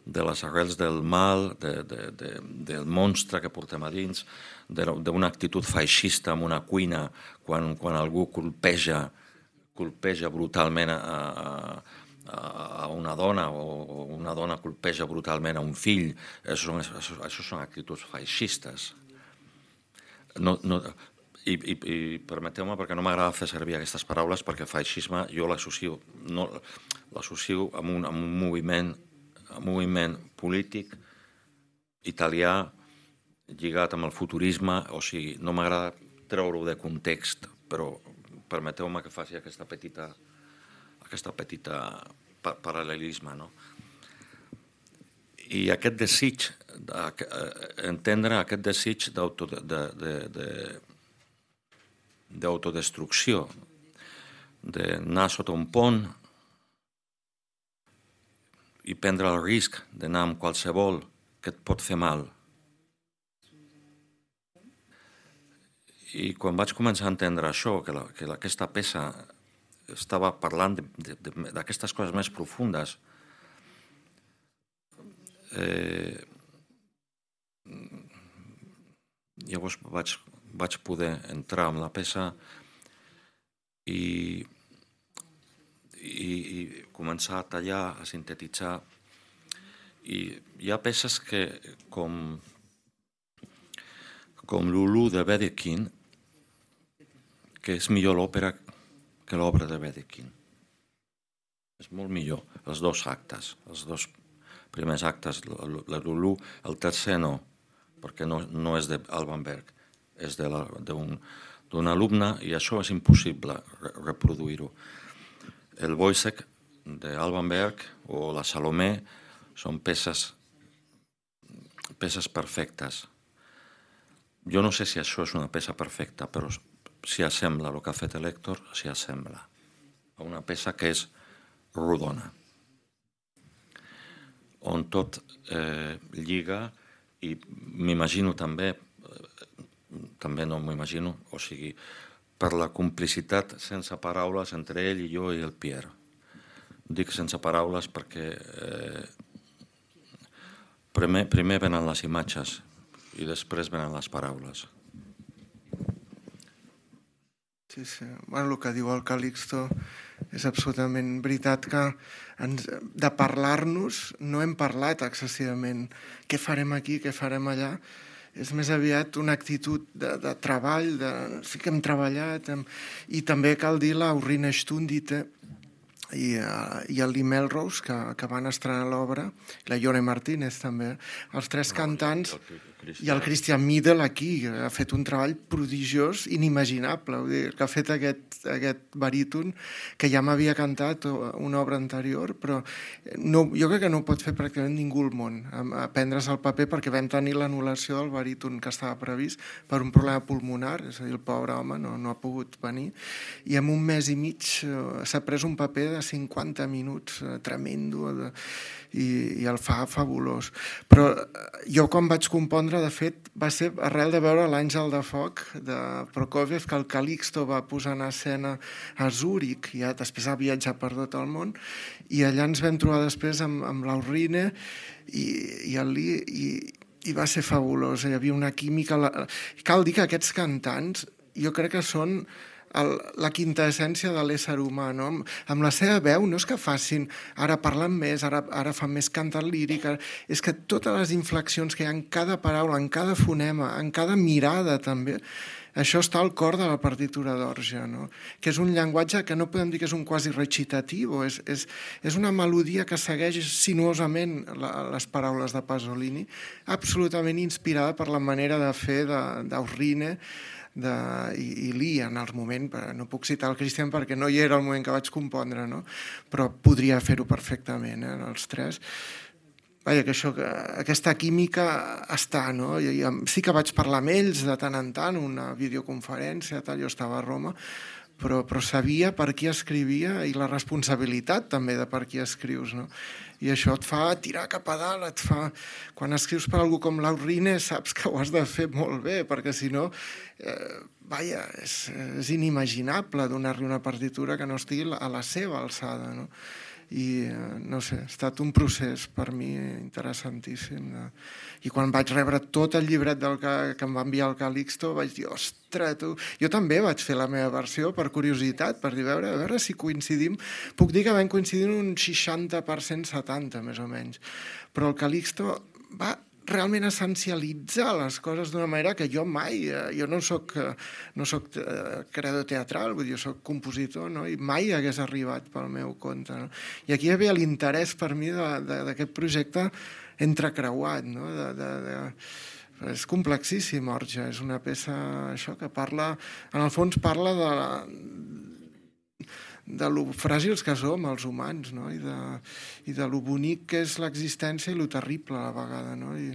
[SPEAKER 4] de les arrels del mal, de, de, de, del monstre que portem a dins, d'una actitud feixista en una cuina quan, quan algú colpeja, colpeja brutalment a, a, a una dona o una dona colpeja brutalment a un fill. Això són, això, això són actituds feixistes. No, no, i, i, i permeteu-me, perquè no m'agrada fer servir aquestes paraules, perquè feixisme jo l'associo no, l'associo amb, un, amb un moviment, un moviment polític italià lligat amb el futurisme, o sigui, no m'agrada treure-ho de context, però permeteu-me que faci aquesta petita, aquesta petita paral·lelisme, no? I aquest desig, entendre aquest desig d'autodestrucció, d'anar sota un pont i prendre el risc d'anar amb qualsevol que et pot fer mal. I quan vaig començar a entendre això, que, la, que aquesta peça estava parlant d'aquestes coses més profundes, eh, llavors vaig, vaig poder entrar en la peça i, i, i començar a tallar, a sintetitzar. I hi ha peces que, com, com Lulu de Wedekind, que és millor l'òpera que l'obra de Wedekind. És molt millor, els dos actes, els dos primers actes, la Lulu, el tercer no, perquè no, no és d'Alban Berg, és d'un alumne i això és impossible reproduir-ho. El Wojciech d'Alban Berg o la Salomé són peces, peces perfectes. Jo no sé si això és una peça perfecta, però s'hi assembla el que ha fet l'Héctor, s'hi assembla a una peça que és rodona, on tot eh, lliga, i m'imagino també, també no m'ho imagino, o sigui, per la complicitat sense paraules entre ell i jo i el Pierre. Dic sense paraules perquè eh, primer, primer venen les imatges i després venen les paraules.
[SPEAKER 3] Sí, sí. Bueno, el que diu el Calixto és absolutament veritat, que ens, de parlar-nos no hem parlat excessivament. Què farem aquí, què farem allà? És més aviat una actitud de, de treball, de, sí que hem treballat, hem, i també cal dir l'Aurina Stundite i, uh, i el Lee Melrose, que, que van estrenar l'obra, la Ione Martínez també, els tres no, cantants, i el Christian Miedel aquí, que ha fet un treball prodigiós, inimaginable, vull dir, que ha fet aquest, aquest baríton, que ja m'havia cantat una obra anterior, però no, jo crec que no ho pot fer pràcticament ningú al món, aprendre's el paper, perquè vam tenir l'anul·lació del baríton que estava previst per un problema pulmonar, és a dir, el pobre home no, no ha pogut venir, i en un mes i mig s'ha pres un paper de cinquanta minuts, tremendo, de, i, i el fa fabulós. Però jo quan vaig compondre, de fet, va ser arrel de veure l'Àngel de Foc de Prokofiev, que el Calixto va posar en escena a Zúrich, i ja després ha viatjat per tot el món, i allà ens vam trobar després amb, amb l'Aurine i, i el Lee, i, i va ser fabulós, hi havia una química. La... Cal dir que aquests cantants jo crec que són el, la quintaessència de l'ésser humà, no? Amb, amb la seva veu no és que facin, ara parlen més, ara, ara fan més cantat líric, ara, és que totes les inflexions que hi ha en cada paraula, en cada fonema, en cada mirada també, això està al cor de la partitura d'orgue, no? Que és un llenguatge que no podem dir que és un quasi recitatiu, és, és, és una melodia que segueix sinuosament la, les paraules de Pasolini, absolutament inspirada per la manera de fer d'Aurine de, i, i Lee en el moment, no puc citar el Christian perquè no hi era el moment que vaig compondre, no? Però podria fer-ho perfectament, eh, els tres. Vaja, que això, que aquesta química està, no? I, i sí que vaig parlar amb ells de tant en tant, una videoconferència, tal, jo estava a Roma, però, però sabia per qui escrivia i la responsabilitat també de per qui escrius, no? I això et fa tirar cap a dalt, et fa... Quan escrius per algú com l'Aurine saps que ho has de fer molt bé, perquè si no, eh, vaja, és, és inimaginable donar-li una partitura que no estigui a la seva alçada, no? I no sé, ha estat un procés per mi interessantíssim. I quan vaig rebre tot el llibret del que, que em va enviar el Calixto vaig dir, ostres, tu... Jo també vaig fer la meva versió per curiositat, per dir, a veure, a veure si coincidim. Puc dir que vam coincidir un seixanta per cent, setanta més o menys, però el Calixto va realment essencialitzar les coses d'una manera que jo mai, jo no soc, no soc creador teatral, vull dir, jo soc compositor, no? I mai hagués arribat pel meu compte, no? I aquí hi havia l'interès per mi d'aquest projecte entrecreuat, no? De, de, de... És complexíssim, Orge, és una peça això que parla, en el fons parla de la, de lo fràgils que som els humans, no? I, de, i de lo bonic que és l'existència i lo terrible a la vegada, no? I,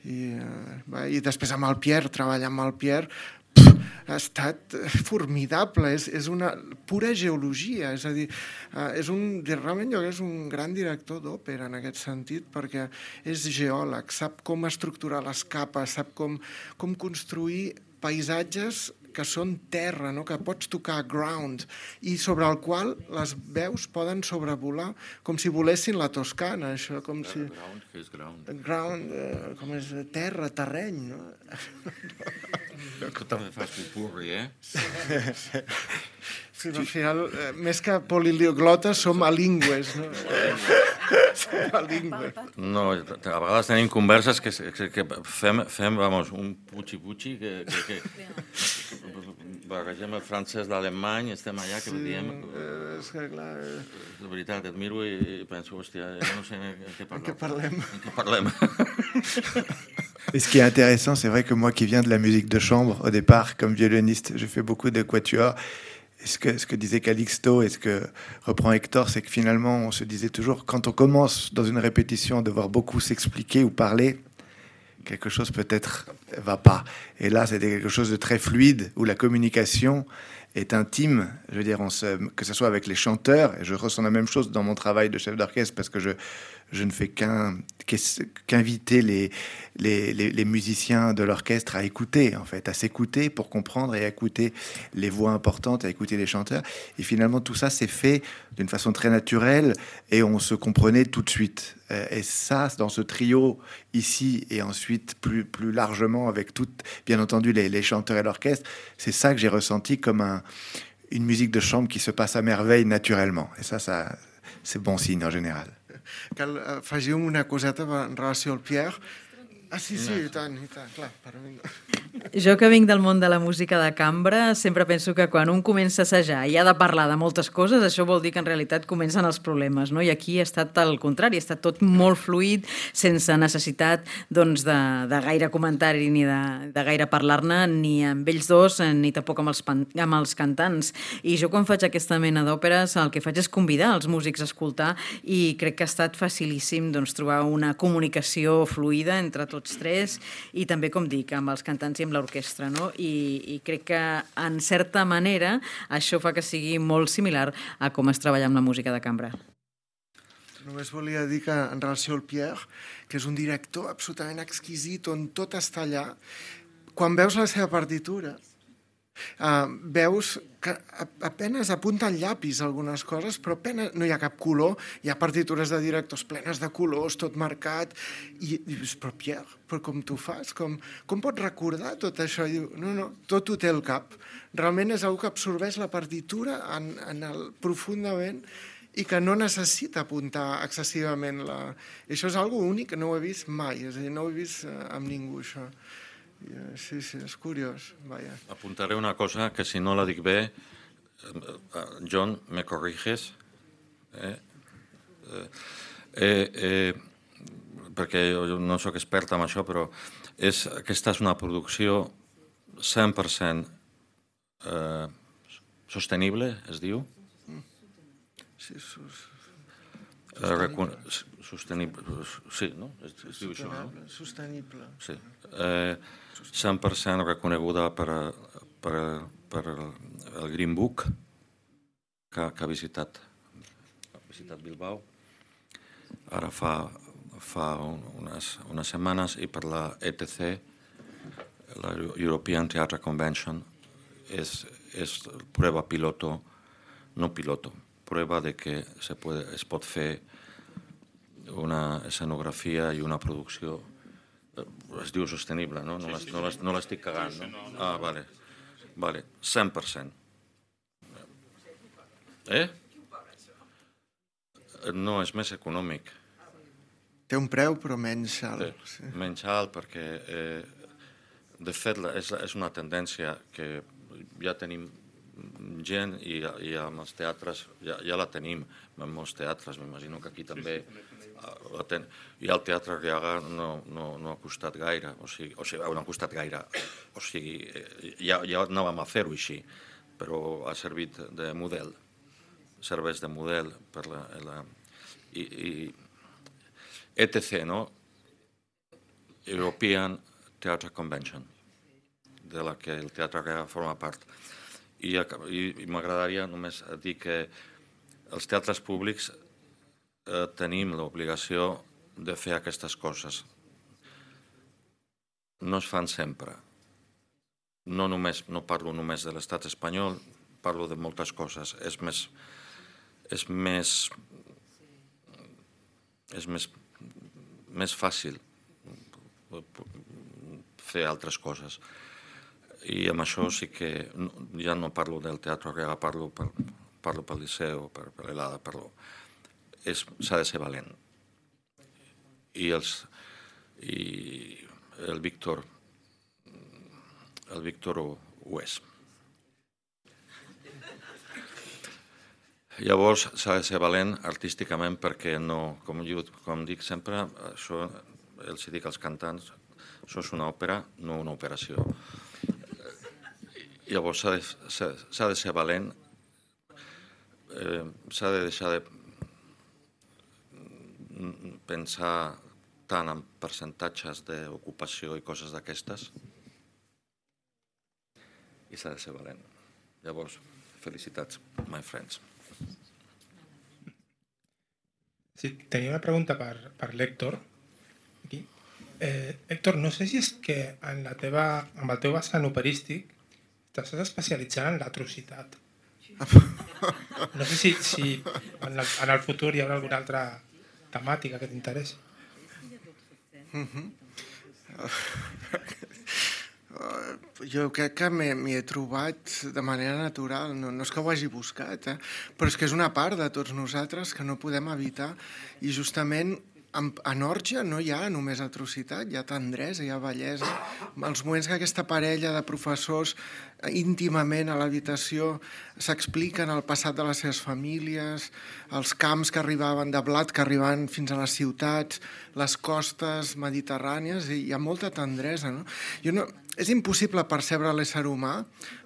[SPEAKER 3] i, eh, i després amb el Pierre, treballar amb el Pierre, pff, ha estat formidable, és, és una pura geologia, és a dir, eh, és un, realment jo és un gran director d'òpera en aquest sentit, perquè és geòleg, sap com estructurar les capes, sap com, com construir paisatges que són terra, no? Que pots tocar ground i sobre el qual les veus poden sobrevolar com si volessin la Toscana, això, com si...
[SPEAKER 4] Ground, què és ground?
[SPEAKER 3] Ground, eh, com és terra, terreny, no?
[SPEAKER 4] Que també fas pupurri, eh?
[SPEAKER 3] Sí, al final, eh, més que poliloglotes, som alingües, no? Som alingües.
[SPEAKER 4] No, a vegades tenim converses que, que, que fem, fem, vamos, un puchi-puchi que... que, que barregem el francès d'alemany, estem allà que
[SPEAKER 3] sí,
[SPEAKER 4] diem...
[SPEAKER 3] Eh, és que, clar... Eh...
[SPEAKER 4] De veritat, et miro i penso, hòstia, jo no sé en què parlem.
[SPEAKER 3] En què parlem?
[SPEAKER 4] En què parlem?
[SPEAKER 5] Et ce qui est intéressant, c'est vrai que moi qui viens de la musique de chambre, au départ, comme violoniste, je fais beaucoup de quatuors. Et ce que, ce que disait Calixto et ce que reprend Hector, c'est que finalement, on se disait toujours, quand on commence dans une répétition, devoir beaucoup s'expliquer ou parler, quelque chose peut-être va pas. Et là, c'était quelque chose de très fluide, où la communication est intime. Je veux dire, on se, que ce soit avec les chanteurs, et je ressens la même chose dans mon travail de chef d'orchestre, parce que je, je ne fais qu'un, qu'inviter les, les, les, les musiciens de l'orchestre à écouter, en fait, à s'écouter pour comprendre et à écouter les voix importantes, à écouter les chanteurs. Et finalement, tout ça s'est fait d'une façon très naturelle et on se comprenait tout de suite. Et ça, dans ce trio ici et ensuite plus, plus largement avec toutes, bien entendu, les, les chanteurs et l'orchestre, c'est ça que j'ai ressenti comme un, une musique de chambre qui se passe à merveille naturellement. Et ça, ça c'est bon signe en général.
[SPEAKER 3] Cal afegir una coseta en relació al Pierre. Ah, sí, sí, i tant, i tant, clar, per mi...
[SPEAKER 6] Jo que vinc del món de la música de cambra, sempre penso que quan un comença a assajar i ha de parlar de moltes coses, això vol dir que en realitat comencen els problemes, no? I aquí ha estat el contrari, ha estat tot molt fluid, sense necessitat doncs, de, de gaire comentari ni de, de gaire parlar-ne, ni amb ells dos, ni tampoc amb els, amb els cantants. I jo quan faig aquesta mena d'òperes el que faig és convidar els músics a escoltar i crec que ha estat facilíssim doncs, trobar una comunicació fluida entre tots tres i també, com dic, amb els cantants i amb l'orquestra, no? I, i crec que, en certa manera, això fa que sigui molt similar a com es treballa amb la música de cambra.
[SPEAKER 3] Només volia dir que, en relació al Pierre, que és un director absolutament exquisit, on tot està allà. Quan veus la seva partitura, Uh, veus que apenes apunta el llapis algunes coses, però apenes no hi ha cap color, hi ha partitures de directors plenes de colors, tot marcat, i, i dius, però Pierre, però com tu fas? Com, com pots recordar tot això? I diu, no, no, tot ho té al cap. Realment és algú que absorbeix la partitura en, en el, profundament i que no necessita apuntar excessivament. La... I això és algo únic que no ho he vist mai, és a dir, no ho he vist amb ningú, això. Sí, sí, és curiós. Vaya.
[SPEAKER 4] Apuntaré una cosa que si no la dic bé, John, me corriges? Eh? Eh, eh, perquè jo no sóc expert en això, però és, aquesta és una producció cent per cent eh, sostenible, es diu?
[SPEAKER 3] Sí, sus...
[SPEAKER 4] Sostenible. Sostenible. Sí, no? Es, es diu això, no?
[SPEAKER 3] Sostenible.
[SPEAKER 4] Sí. Eh, cent per cent reconeguda per, per, per el Green Book que, que ha visitat, ha visitat Bilbao ara fa, fa unes, unes setmanes, i per la E T C, la European Theatre Convention, és, és prueba piloto, no piloto, prueba de que se, puede, es pot fer una escenografia i una producció, es diu sostenible, no? No, sí, sí, sí. No l'estic cagant, no? no, no? Ah, vale. Vale, cent per cent. Eh? No, és més econòmic.
[SPEAKER 3] Té un preu, però menys alt.
[SPEAKER 4] Sí, sí. Menys alt, perquè, eh, de fet, és, és una tendència que ja tenim gent i, i amb els teatres ja, ja la tenim, en molts teatres, m'imagino que aquí també la ten... I el Teatre Arriaga no, no, no ha costat gaire, o sigui, o sigui, no ha costat gaire, o sigui, ja, ja anàvem a fer-ho així, però ha servit de model, serveix de model per la... la i, i E T C, no? European Theatre Convention, de la que el Teatre Arriaga forma part. I, i, i m'agradaria només dir que els teatres públics eh, tenim l'obligació de fer aquestes coses. No es fan sempre. No, només, no parlo només de l'estat espanyol, parlo de moltes coses. És més, és més, és més, més fàcil fer altres coses. I amb això sí que ja no parlo del Teatre Arriaga, parlo, per, parlo pel Liceu, per, per l'Elada, parlo. S'ha de ser valent. I, els, i el Víctor, el Víctor ho, ho és. Llavors s'ha de ser valent artísticament perquè no, com, jo, com dic sempre, això els dic als cantants, això és una òpera, no una operació. Llavors s'ha de, de ser valent, eh, s'ha de deixar de pensar tant en percentatges d'ocupació i coses d'aquestes, i s'ha de ser valent. Llavors, felicitats, my friends.
[SPEAKER 7] Sí, tenia una pregunta per, per l'Héctor. Aquí. Eh, Héctor, no sé si és que en la teva, amb el teu vessant operístic t'estàs especialitzant en l'atrocitat. No sé si, si en, el, en el futur hi haurà alguna altra temàtica que t'interessi.
[SPEAKER 3] Mm-hmm. Jo crec que m'hi he trobat de manera natural, no, no és que ho hagi buscat, eh? Però és que és una part de tots nosaltres que no podem evitar, i justament en Òrgia no hi ha només atrocitat, hi ha tendresa, hi ha bellesa. Els moments que aquesta parella de professors íntimament a l'habitació s'expliquen el passat de les seves famílies, els camps que arribaven de blat, que arribaven fins a les ciutats, les costes mediterrànies, i hi ha molta tendresa, no? Jo no... És impossible percebre l'ésser humà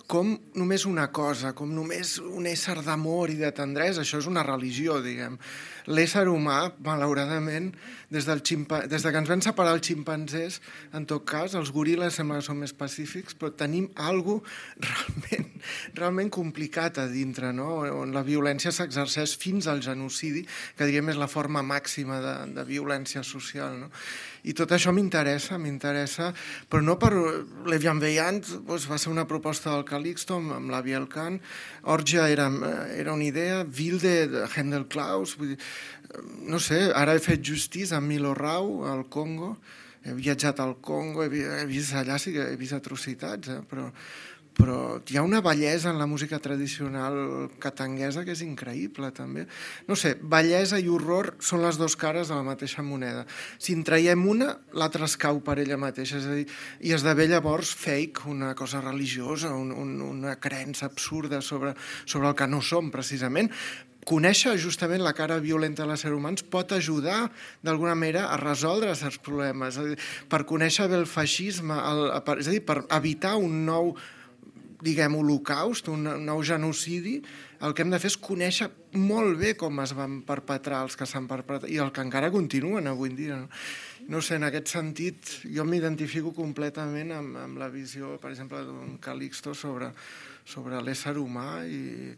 [SPEAKER 3] com només una cosa, com només un ésser d'amor i de tendresa. Això és una religió, diguem. L'ésser humà, malauradament, des, del ximpa... des de que ens van separar els ximpanzés, en tot cas, els goril·les sembla que són més pacífics, però tenim alguna cosa realment, realment complicat a dintre, no? On la violència s'exerceix fins al genocidi, que diguem és la forma màxima de, de violència social, no? I tot això m'interessa, m'interessa, però no per... L'Evian Veillant doncs, va ser una proposta del Calixto amb, amb la Bielkan, Orgia era, era una idea, Wilde, de Handel Klaus, vull dir, no sé, ara he fet Justice amb Milo Rau al Congo, he viatjat al Congo, he, he vist allà, sí que he vist atrocitats, eh? però, però hi ha una bellesa en la música tradicional catanguesa que és increïble també. No sé, bellesa i horror són les dues cares de la mateixa moneda. Si en traiem una, l'altra es cau per ella mateixa, és a dir, i esdevé llavors fake, una cosa religiosa, un, un, una creença absurda sobre, sobre el que no som precisament. Conèixer justament la cara violenta de l'ésser humà pot ajudar d'alguna manera a resoldre certs problemes, dir, per conèixer bé el feixisme, el, per, és a dir, per evitar un nou, diguem, holocaust, un nou genocidi, el que hem de fer és conèixer molt bé com es van perpetrar els que s'han perpetrat i el que encara continuen avui en dia. No, no sé, en aquest sentit, jo m'identifico completament amb, amb la visió, per exemple, d'un Calixto sobre, sobre l'ésser humà i,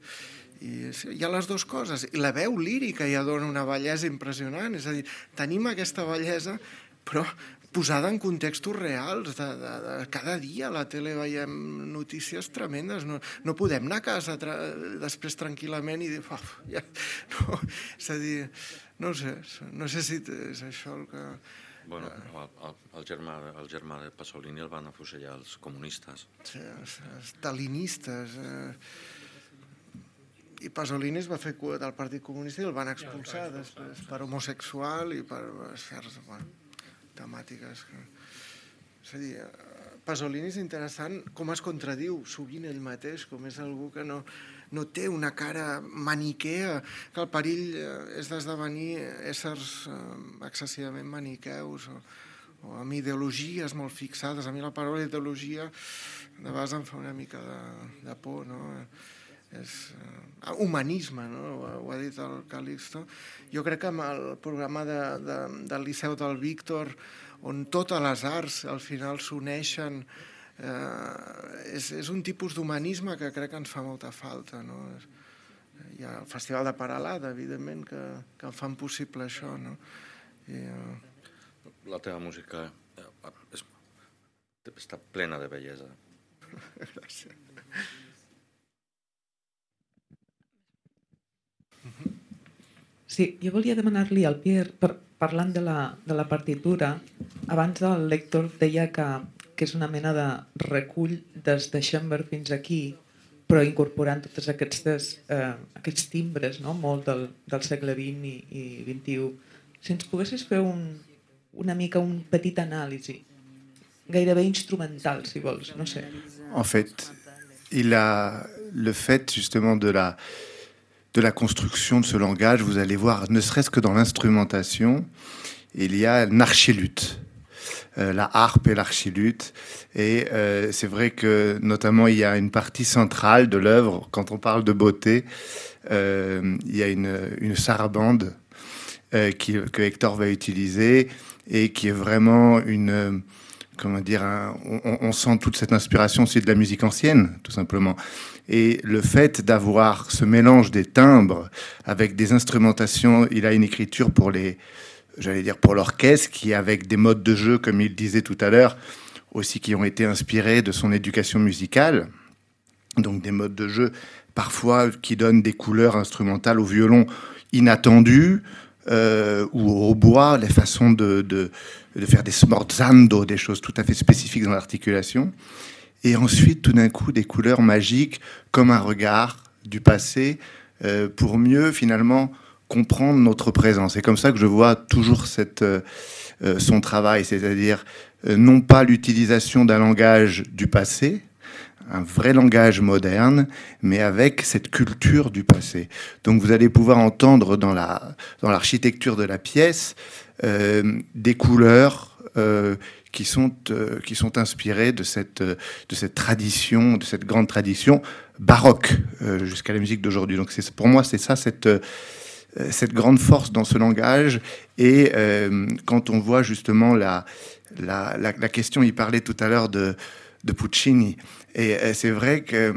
[SPEAKER 3] i hi ha les dues coses. I la veu lírica ja dona una bellesa impressionant, és a dir, tenim aquesta bellesa, però posada en contextos reals, de, de, de cada dia a la tele veiem notícies tremendes, no, no podem anar a casa tra després tranquil·lament i dir, oh, ja, no, és a dir, no sé, no sé si és això el que...
[SPEAKER 4] Bueno, el, el, el, germà, el germà de Pasolini el van afusellar els comunistes.
[SPEAKER 3] Sí, els stalinistes... Eh, i Pasolini es va fer cua del Partit Comunista i el van expulsar després per homosexual i per certs... Bueno, temàtiques. És a dir, Pasolini és interessant com es contradiu sovint ell mateix, com és algú que no, no té una cara maniquea, que el perill és d'esdevenir éssers excessivament maniqueus o, o amb ideologies molt fixades. A mi la paraula ideologia de vegades em fa una mica de, de por, no? És uh, humanisme, no? Ho, ho ha dit el Calixto. Jo crec que amb el programa de, de, del Liceu del Víctor, on totes les arts al final s'uneixen, eh, és, és un tipus d'humanisme que crec que ens fa molta falta, no? Hi ha el Festival de Paralada, evidentment, que, que fan possible això, no? I, uh...
[SPEAKER 4] La teva música és, està plena de bellesa.
[SPEAKER 3] Gràcies.
[SPEAKER 8] Sí, jo volia demanar-li al Pierre, per, parlant de la, de la partitura, abans el lector deia que, que és una mena de recull des de Schoenberg fins aquí, però incorporant tots aquests, eh, aquests timbres, no? Molt del, del segle vint i, i vint-i-u. Si ens poguessis fer un, una mica un petit anàlisi, gairebé instrumental, si vols, no sé.
[SPEAKER 5] En fait, il a le fait justement de la... de la construction de ce langage, vous allez voir, ne serait-ce que dans l'instrumentation, il y a une archiluth, euh, la harpe et l'archiluth. Et euh, c'est vrai que, notamment, il y a une partie centrale de l'œuvre, quand on parle de beauté, euh, il y a une, une sarabande euh, qui, que Hector va utiliser et qui est vraiment une... Comment dire, un, on, on sent toute cette inspiration aussi de la musique ancienne, tout simplement. Et le fait d'avoir ce mélange des timbres avec des instrumentations, il a une écriture pour les, j'allais dire pour l'orchestre, qui avec des modes de jeu, comme il disait tout à l'heure, aussi qui ont été inspirés de son éducation musicale. Donc des modes de jeu parfois qui donnent des couleurs instrumentales au violon inattendues, Euh, ou au bois, les façons de, de, de faire des smorzando, des choses tout à fait spécifiques dans l'articulation. Et ensuite, tout d'un coup, des couleurs magiques, comme un regard du passé, euh, pour mieux, finalement, comprendre notre présent. C'est comme ça que je vois toujours cette, euh, son travail, c'est-à-dire euh, non pas l'utilisation d'un langage du passé, un vrai langage moderne, mais avec cette culture du passé. Donc vous allez pouvoir entendre dans la, dans l'architecture de la pièce euh, des couleurs euh, qui sont, euh, qui sont inspirées de cette, de cette tradition, de cette grande tradition baroque euh, jusqu'à la musique d'aujourd'hui. Donc c'est, pour moi, c'est ça, cette, euh, cette grande force dans ce langage. Et euh, quand on voit justement la, la, la, la question, il parlait tout à l'heure de de Puccini. Et c'est vrai que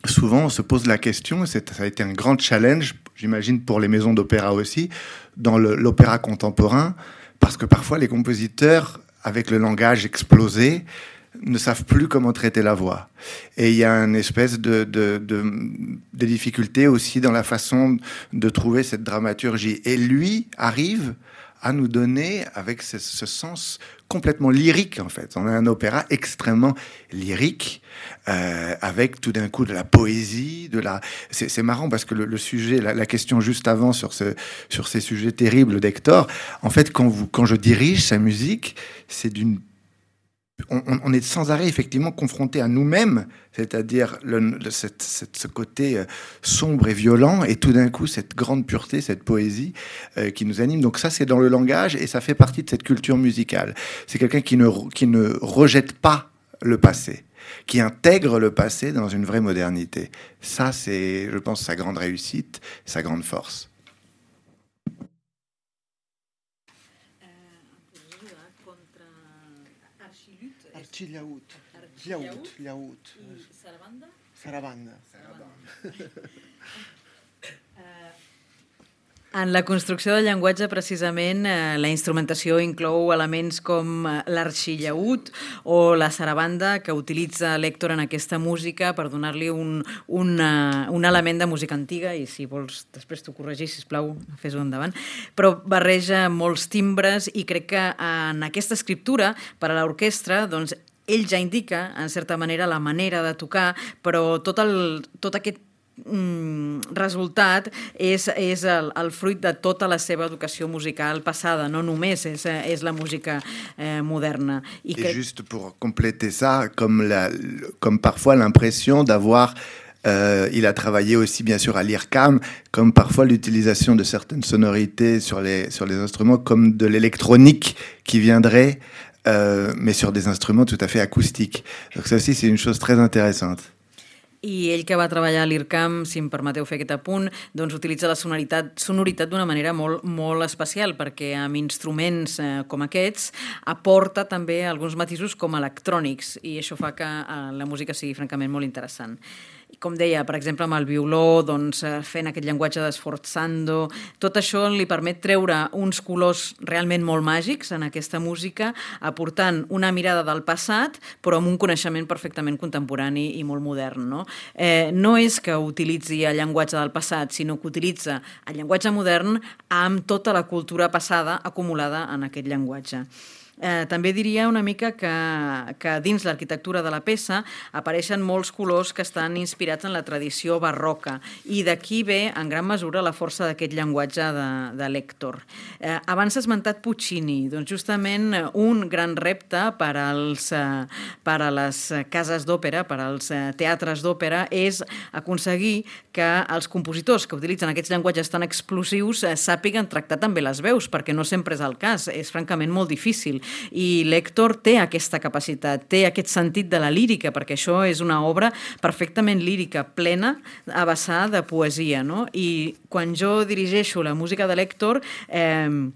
[SPEAKER 5] souvent on se pose la question, ça a été un grand challenge, j'imagine pour les maisons d'opéra aussi, dans le, l'opéra contemporain, parce que parfois les compositeurs, avec le langage explosé, ne savent plus comment traiter la voix. Et il y a une espèce de, de, de, de difficulté aussi dans la façon de trouver cette dramaturgie. Et lui arrive à nous donner, avec ce, ce sens complètement lyrique, en fait. On a un opéra extrêmement lyrique, euh, avec tout d'un coup de la poésie, de la... C'est, c'est marrant parce que le, le sujet, la, la question juste avant sur, ce, sur ces sujets terribles d'Hector, en fait, quand, vous, quand je dirige sa musique, c'est d'une On, on est sans arrêt effectivement confronté à nous-mêmes, c'est-à-dire le, le, cette, cette, ce côté sombre et violent, et tout d'un coup cette grande pureté, cette poésie euh, qui nous anime. Donc ça, c'est dans le langage, et ça fait partie de cette culture musicale. C'est quelqu'un qui ne, qui ne rejette pas le passé, qui intègre le passé dans une vraie modernité. Ça, c'est, je pense, sa grande réussite, sa grande force.
[SPEAKER 3] Llaüt, llaüt, llaüt. I sarabanda? Sarabanda.
[SPEAKER 6] En la construcció del llenguatge, precisament, eh, la instrumentació inclou elements com l'arxillaüt o la sarabanda, que utilitza l'Hèctor en aquesta música per donar-li un, un, uh, un element de música antiga, i si vols després t'ho corregir, sisplau, fes-ho endavant, però barreja molts timbres, i crec que en aquesta escriptura per a l'orquestra, doncs, ell ja indica, en certa manera, la manera de tocar, però tot, el, tot aquest mm, resultat és, és el, el fruit de tota la seva educació musical passada, no només és, és la música eh, moderna. I
[SPEAKER 5] Et
[SPEAKER 6] que...
[SPEAKER 5] juste pour compléter ça, comme, la, comme parfois l'impression d'avoir... Euh, il a travaillé aussi bien sûr à l'I R C A M, comme parfois l'utilisation de certaines sonorités sur les, sur les instruments, comme de l'électronique qui viendrait... Euh, mais sur des instruments tout à fait acoustiques. Donc ça aussi, c'est une chose très intéressante.
[SPEAKER 6] I ell, que va treballar a l'I R C A M, si em permeteu fer aquest apunt, doncs utilitza la sonoritat, sonoritat d'una manera molt, molt especial, perquè amb instruments eh, com aquests aporta també alguns matisos com electrònics, i això fa que eh, la música sigui francament molt interessant. I com deia, per exemple, amb el violó, doncs, fent aquest llenguatge d'esforzando, tot això li permet treure uns colors realment molt màgics en aquesta música, aportant una mirada del passat, però amb un coneixement perfectament contemporani i molt modern, no? Eh, no és que utilitzi el llenguatge del passat, sinó que utilitza el llenguatge modern amb tota la cultura passada acumulada en aquest llenguatge. Eh, també diria una mica que, que dins l'arquitectura de la peça apareixen molts colors que estan inspirats en la tradició barroca, i d'aquí ve en gran mesura la força d'aquest llenguatge de, de l'Hèctor. Eh, abans s'ha esmentat Puccini, doncs justament un gran repte per, als, eh, per a les cases d'òpera, per als teatres d'òpera, és aconseguir que els compositors que utilitzen aquests llenguatges tan explosius eh, sàpiguen tractar també les veus, perquè no sempre és el cas, és francament molt difícil. I l'Hèctor té aquesta capacitat, té aquest sentit de la lírica, perquè això és una obra perfectament lírica, plena, a vessar de poesia, no? I quan jo dirigeixo la música de l'Hèctor, eh,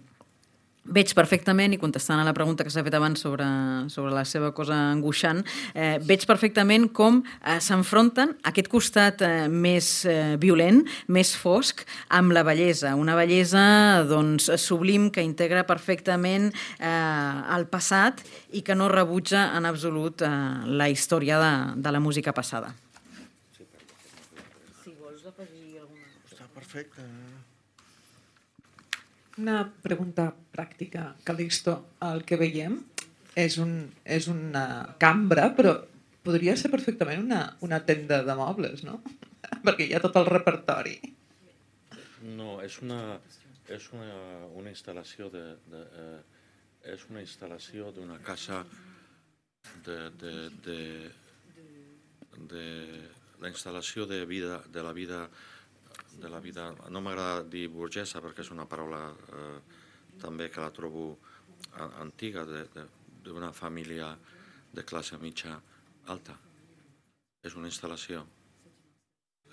[SPEAKER 6] veig perfectament, i contestant a la pregunta que s'ha fet abans sobre, sobre la seva cosa angoixant, eh, veig perfectament com eh, s'enfronten aquest costat eh, més eh, violent, més fosc, amb la bellesa. Una bellesa doncs, sublim, que integra perfectament eh, el passat i que no rebutja en absolut eh, la història de, de la música passada. Si vols afegir alguna cosa.
[SPEAKER 3] Està perfecte.
[SPEAKER 8] Una pregunta pràctica, Calixto. El que veiem és, un, és una cambra, però podria ser perfectament una, una tenda de mobles, no? Perquè hi ha tot el repertori.
[SPEAKER 4] No, és una, és una, una instal·lació de, de, eh, és una instal·lació d'una casa de, de, de, de la instal·lació de, vida, de la vida de la vida, no m'agrada dir burgesa perquè és una paraula eh, també que la trobo antiga, d'una família de classe mitja alta. És una instal·lació.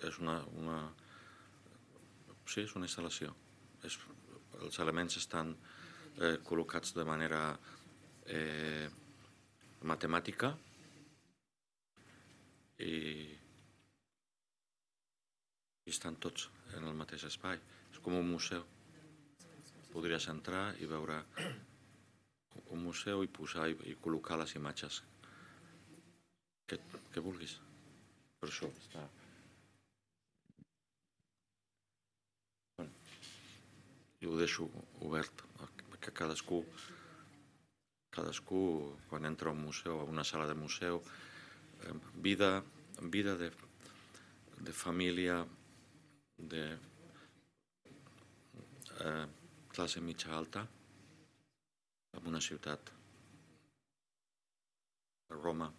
[SPEAKER 4] És una, una... Sí, és una instal·lació. És... Els elements estan eh, col·locats de manera eh, matemàtica i i estan tots en el mateix espai. És com un museu. Podries entrar i veure un museu i posar i, i col·locar les imatges que vulguis. Per això està... Jo ho deixo obert, que cadascú, cadascú quan entra a un museu, a una sala de museu, vida, vida de, de família, de eh, classe mitja alta, en una ciutat, Roma,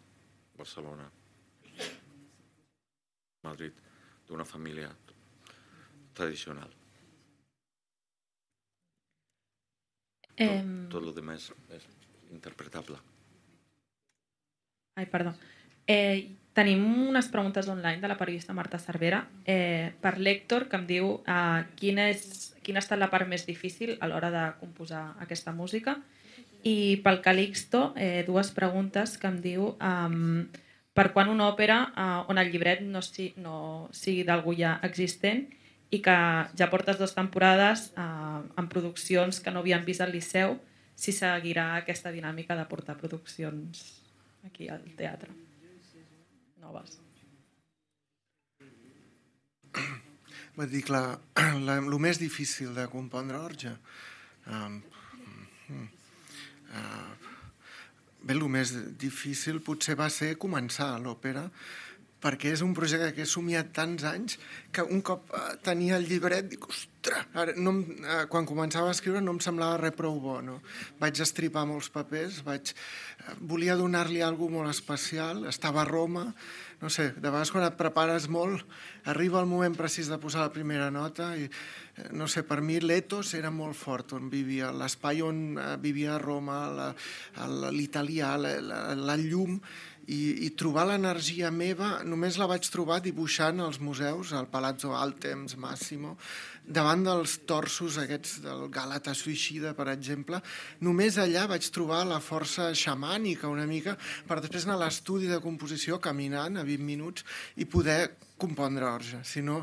[SPEAKER 4] Barcelona, Madrid, d'una família tradicional.
[SPEAKER 9] Eh...
[SPEAKER 4] Tot, tot el demés és interpretable.
[SPEAKER 9] Ai, perdó. Eh, tenim unes preguntes online de la periodista Marta Cervera eh, per l'Héctor, que em diu eh, quina, és, quina ha estat la part més difícil a l'hora de composar aquesta música. I pel Calixto, eh, dues preguntes que em diu um, per quan una òpera eh, on el llibret no, si, no sigui d'algú ja existent i que ja portes dues temporades eh, en produccions que no havien vist al Liceu, si seguirà aquesta dinàmica de portar produccions aquí al teatre noves.
[SPEAKER 3] Va dir que el més difícil de compondre Orgia um, uh, bé, el més difícil potser va ser començar l'òpera, perquè és un projecte que he somiat tants anys que un cop tenia el llibret dic, ostres, ara, no em, eh, quan començava a escriure no em semblava res prou bo, no? Vaig estripar molts papers, vaig, eh, volia donar-li alguna cosa molt especial, estava a Roma, no sé, de vegades quan et prepares molt arriba el moment precís de posar la primera nota i eh, no sé, per mi l'etos era molt fort on vivia, l'espai on eh, vivia a Roma, l'italià, la, la, la llum. I, i trobar l'energia meva només la vaig trobar dibuixant als museus, al Palazzo Altemps, Massimo, davant dels torsos aquests del Gàlata Suïcida, per exemple. Només allà vaig trobar la força xamànica una mica per després anar a l'estudi de composició caminant a vint minuts i poder compondre Orgia. Si no,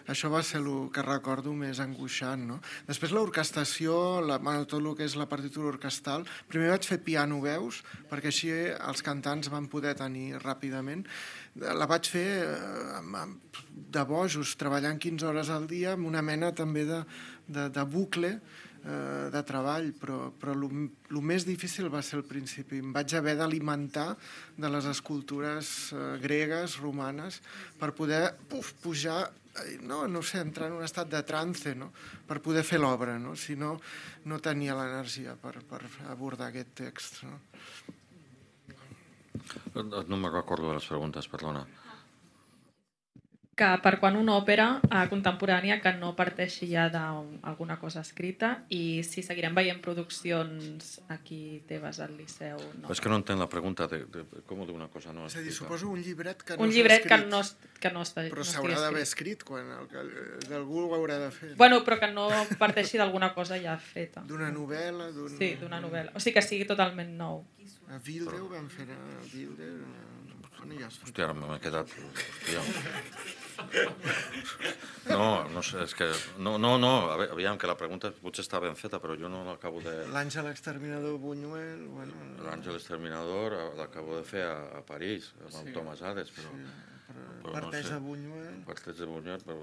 [SPEAKER 3] això va ser el que recordo més angoixant, no? Després l'orquestació, la, tot el que és la partitura orquestal, primer vaig fer piano-veus, perquè així els cantants van poder tenir ràpidament. La vaig fer de bojos, treballant quinze hores al dia, amb una mena també de, de, de bucle, de treball, però, però el més difícil va ser al principi. Em vaig haver d'alimentar de les escultures eh, gregues, romanes, per poder puf, pujar, no, no sé, entrar en un estat de trance, no? Per poder fer l'obra, no? Si no, no tenia l'energia per, per abordar aquest text. No,
[SPEAKER 4] no me'n recordo de les preguntes, perdona.
[SPEAKER 9] Que per quan una òpera eh, contemporània que no parteixi ja d'alguna cosa escrita i si seguirem veient produccions aquí teves al Liceu. No.
[SPEAKER 4] És que no entenc la pregunta de, de com d'una cosa no
[SPEAKER 3] és a dir, suposo un llibret que no
[SPEAKER 9] un
[SPEAKER 3] s'ha
[SPEAKER 9] llibret
[SPEAKER 3] escrit.
[SPEAKER 9] Que no, que no està,
[SPEAKER 3] però
[SPEAKER 9] no
[SPEAKER 3] s'haurà d'haver escrit quan el, algú ho haurà de fer.
[SPEAKER 9] Bueno, però que no parteixi d'alguna cosa ja feta.
[SPEAKER 3] D'una novel·la.
[SPEAKER 9] Sí, d'una novel·la. O sigui que sigui totalment nou.
[SPEAKER 3] A Wilde ho vam fer, a Wilde...
[SPEAKER 4] Hòstia, ara m'he quedat... Hòstia. No, no sé, és que... No, no, no, aviam, que la pregunta potser està ben feta, però jo no l'acabo de...
[SPEAKER 3] L'Àngel Exterminador Buñuel... Bueno,
[SPEAKER 4] L'Àngel Exterminador l'acabo de fer a, a París, amb el sí, Thomas Hades, però... Sí,
[SPEAKER 3] però, però parteix no sé, de Buñuel...
[SPEAKER 4] Parteix de Buñuel, però...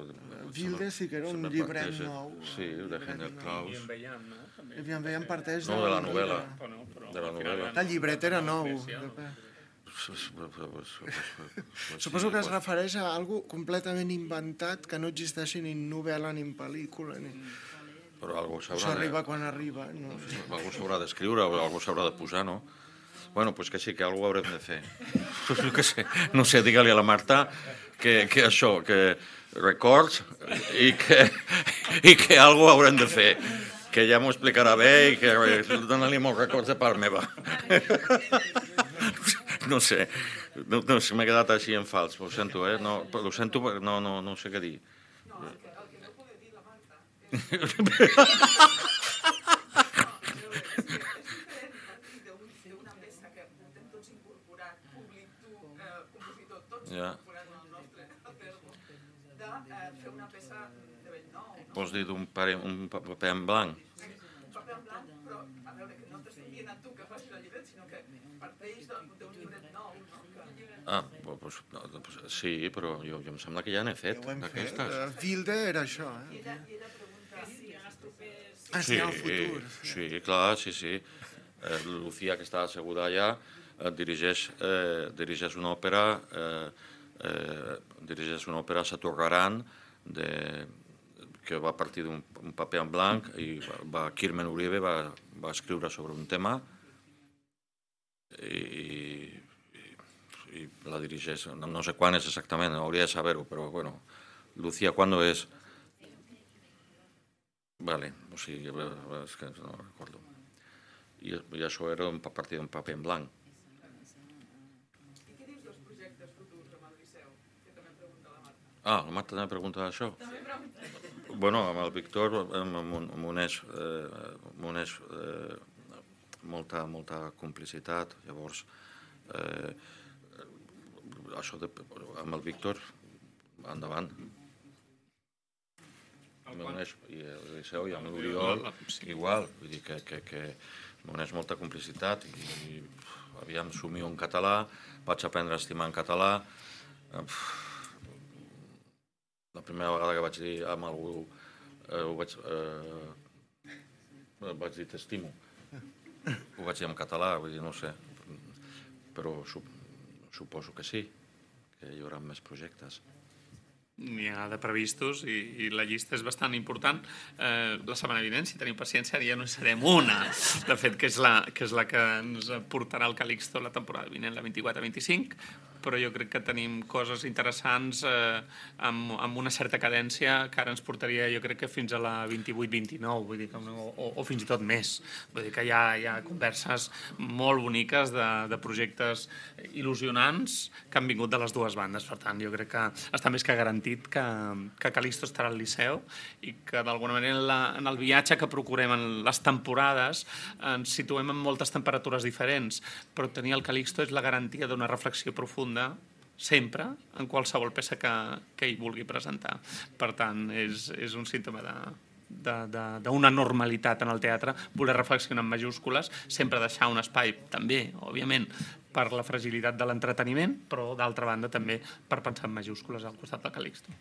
[SPEAKER 3] Wilde sí que era un llibret
[SPEAKER 4] parteix,
[SPEAKER 3] nou.
[SPEAKER 4] Sí, de Hendel Klaus.
[SPEAKER 1] I en veiem, no?
[SPEAKER 3] I en veiem parteix
[SPEAKER 4] no, de la novel·la. De la novel·la.
[SPEAKER 3] El llibret era nou. Suposo que es refereix a algo completament inventat que no existeixi ni en novel·la ni en pel·lícula. Ni...
[SPEAKER 4] Però algú s'haurà
[SPEAKER 3] Això arriba quan arriba. No?
[SPEAKER 4] Algú s'haurà d'escriure o algú s'haurà de posar, no? Bueno, doncs que sí, que algú haurem de fer. No, que sé, no sé, digue-li a la Marta que, que això, que records i que, i que algú haurem de fer. Que ja m'ho explicarà bé i que dona-li molts records de part meva. No sé, no, no sé, m'he quedat així en fals, ho sento, eh? No, ho sento, no, no, no sé què dir.
[SPEAKER 10] No, el que, el que no puede dir la Marta és una peça que intentem tots incorporar, públic, tu, compositor, tots incorporant el nostre acervo, de fer una peça de bell nou.
[SPEAKER 4] Vols dir d'un paper en blanc?
[SPEAKER 10] Un paper en blanc, però a veure, que no t'estic dient a tu que facis el llibret, sinó que parteix d'un llibret nou, no?
[SPEAKER 4] Ah, doncs, doncs, sí, però jo, jo em sembla que ja n'he fet,
[SPEAKER 3] Ja ho hem fet.
[SPEAKER 4] d'aquestes.
[SPEAKER 3] Uh, Wilde era això,
[SPEAKER 10] I
[SPEAKER 3] eh?
[SPEAKER 10] ella, i ella pregunta si en els propers...
[SPEAKER 3] Ah, sí, al futur.
[SPEAKER 4] Sí, clar, sí, sí. Eh, Lucía, que està asseguda allà, eh, dirigeix, eh, dirigeix una òpera, eh, eh, dirigeix una òpera Saturgaran, de, que va partir d'un paper en blanc, i va, va, Kirmen Uribe va, va escriure sobre un tema, i, i la dirigeix, no, no sé quan és exactament, hauria de saber-ho, però bueno, Lucía, ¿cuándo és? Vale, o sigui, és que no recordo. I, i això era a partir d'un paper en blanc.
[SPEAKER 10] I què dius dels projectes futurs amb el Liceu? Que també em pregunta la Marta.
[SPEAKER 4] Ah, la Marta també pregunta això?
[SPEAKER 10] També pregunta.
[SPEAKER 4] Bueno, amb el Víctor m'uneix eh, m'uneix eh, molta, molta complicitat, llavors eh, això de, amb el Víctor endavant. M'uneix, i el Liceu i amb l'Oriol igual, vull dir que, que, que m'uneix molta complicitat i, i aviam, somio en català, vaig aprendre a estimar en català. La primera vegada que vaig dir amb algú eh, ho vaig, eh, vaig dir t'estimo, ho vaig dir en català, vull dir, no sé, però suposo que sí, que hi haurà més projectes.
[SPEAKER 1] N'hi ha de previstos i, i la llista és bastant important. Eh, la setmana vinent, si tenim paciència, ja no serem una, de fet, que és la que, és la que ens portarà el Calixto la temporada vinent, la vint-i-quatre vint-i-cinc, però jo crec que tenim coses interessants eh, amb, amb una certa cadència que ara ens portaria, jo crec que fins a la vint-i-vuit vint-i-nou, vull dir que, o, o fins i tot més. Vull dir que hi ha, hi ha converses molt boniques de, de projectes il·lusionants que han vingut de les dues bandes. Per tant, jo crec que està més que garantit que, que Calixto estarà al Liceu i que d'alguna manera en, la, en el viatge que procurem en les temporades ens situem en moltes temperatures diferents, però tenir el Calixto és la garantia d'una reflexió profunda sempre, en qualsevol peça que, que ell vulgui presentar. Per tant, és, és un símptoma de d'una normalitat en el teatre, voler reflexionar en majúscules, sempre deixar un espai també, òbviament, per la fragilitat de l'entreteniment, però d'altra banda també per pensar en majúscules al costat del Calixto.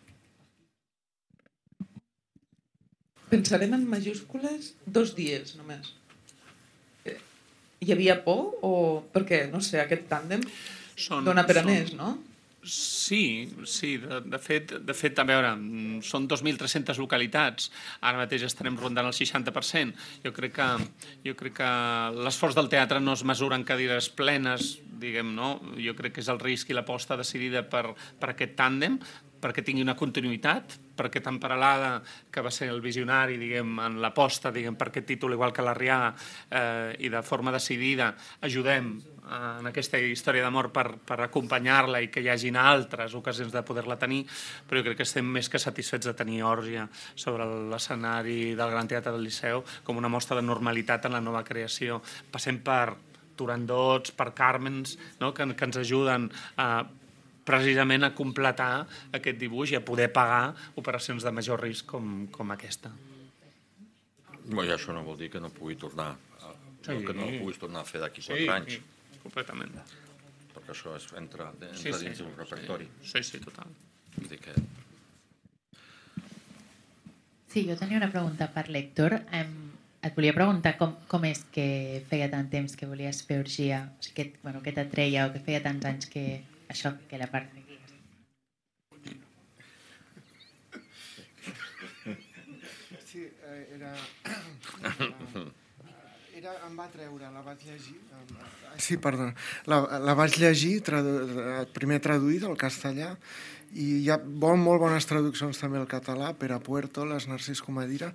[SPEAKER 8] Pensarem en majúscules dos dies només. Hi havia por o... Perquè, no sé, aquest tàndem són, dona per a són... més, no?
[SPEAKER 1] Sí, sí, de, de, fet, de fet, a veure, són dos mil tres-centes localitats, ara mateix estarem rondant el seixanta per cent. Jo crec que, jo crec que l'esforç del teatre no es mesura en cadires plenes, diguem, no? Jo crec que és el risc i l'aposta decidida per, per aquest tàndem, perquè tingui una continuïtat, perquè tan Paralada, que va ser el visionari, diguem, en l'aposta, diguem, per aquest títol, igual que l'Arrià, eh, i de forma decidida ajudem en aquesta història d'amor per, per acompanyar-la i que hi hagin altres ocasions de poder-la tenir, però jo crec que estem més que satisfets de tenir Òrgia sobre l'escenari del Gran Teatre del Liceu com una mostra de normalitat en la nova creació. Passem per Turandots, per Carmens, no? que, que ens ajuden a precisament a completar aquest dibuix i a poder pagar operacions de major risc com, com aquesta.
[SPEAKER 4] Bé, això no vol dir que no pugui tornar a, sí, que no puguis tornar a fer d'aquí quatre sí, anys.
[SPEAKER 1] Sí, completament.
[SPEAKER 4] Perquè això és, entra, entra
[SPEAKER 1] sí,
[SPEAKER 4] dins
[SPEAKER 1] sí,
[SPEAKER 4] del repertori.
[SPEAKER 1] Sí, sí, total.
[SPEAKER 4] Vull dir que...
[SPEAKER 11] Sí, jo tenia una pregunta per l'Héctor. Um, et volia preguntar com, com és que feia tant temps que volies fer orgia, o sigui, que, bueno, que t'atreia o que feia tants anys que això, que la part d'aquí.
[SPEAKER 3] Sí, era... era... em va treure, la vaig llegir... Sí, perdó. La, la vaig llegir, tradu... primer traduïda al castellà, i hi ha bon, molt bones traduccions també al català, Pere Puerto, les Narcís Comadira,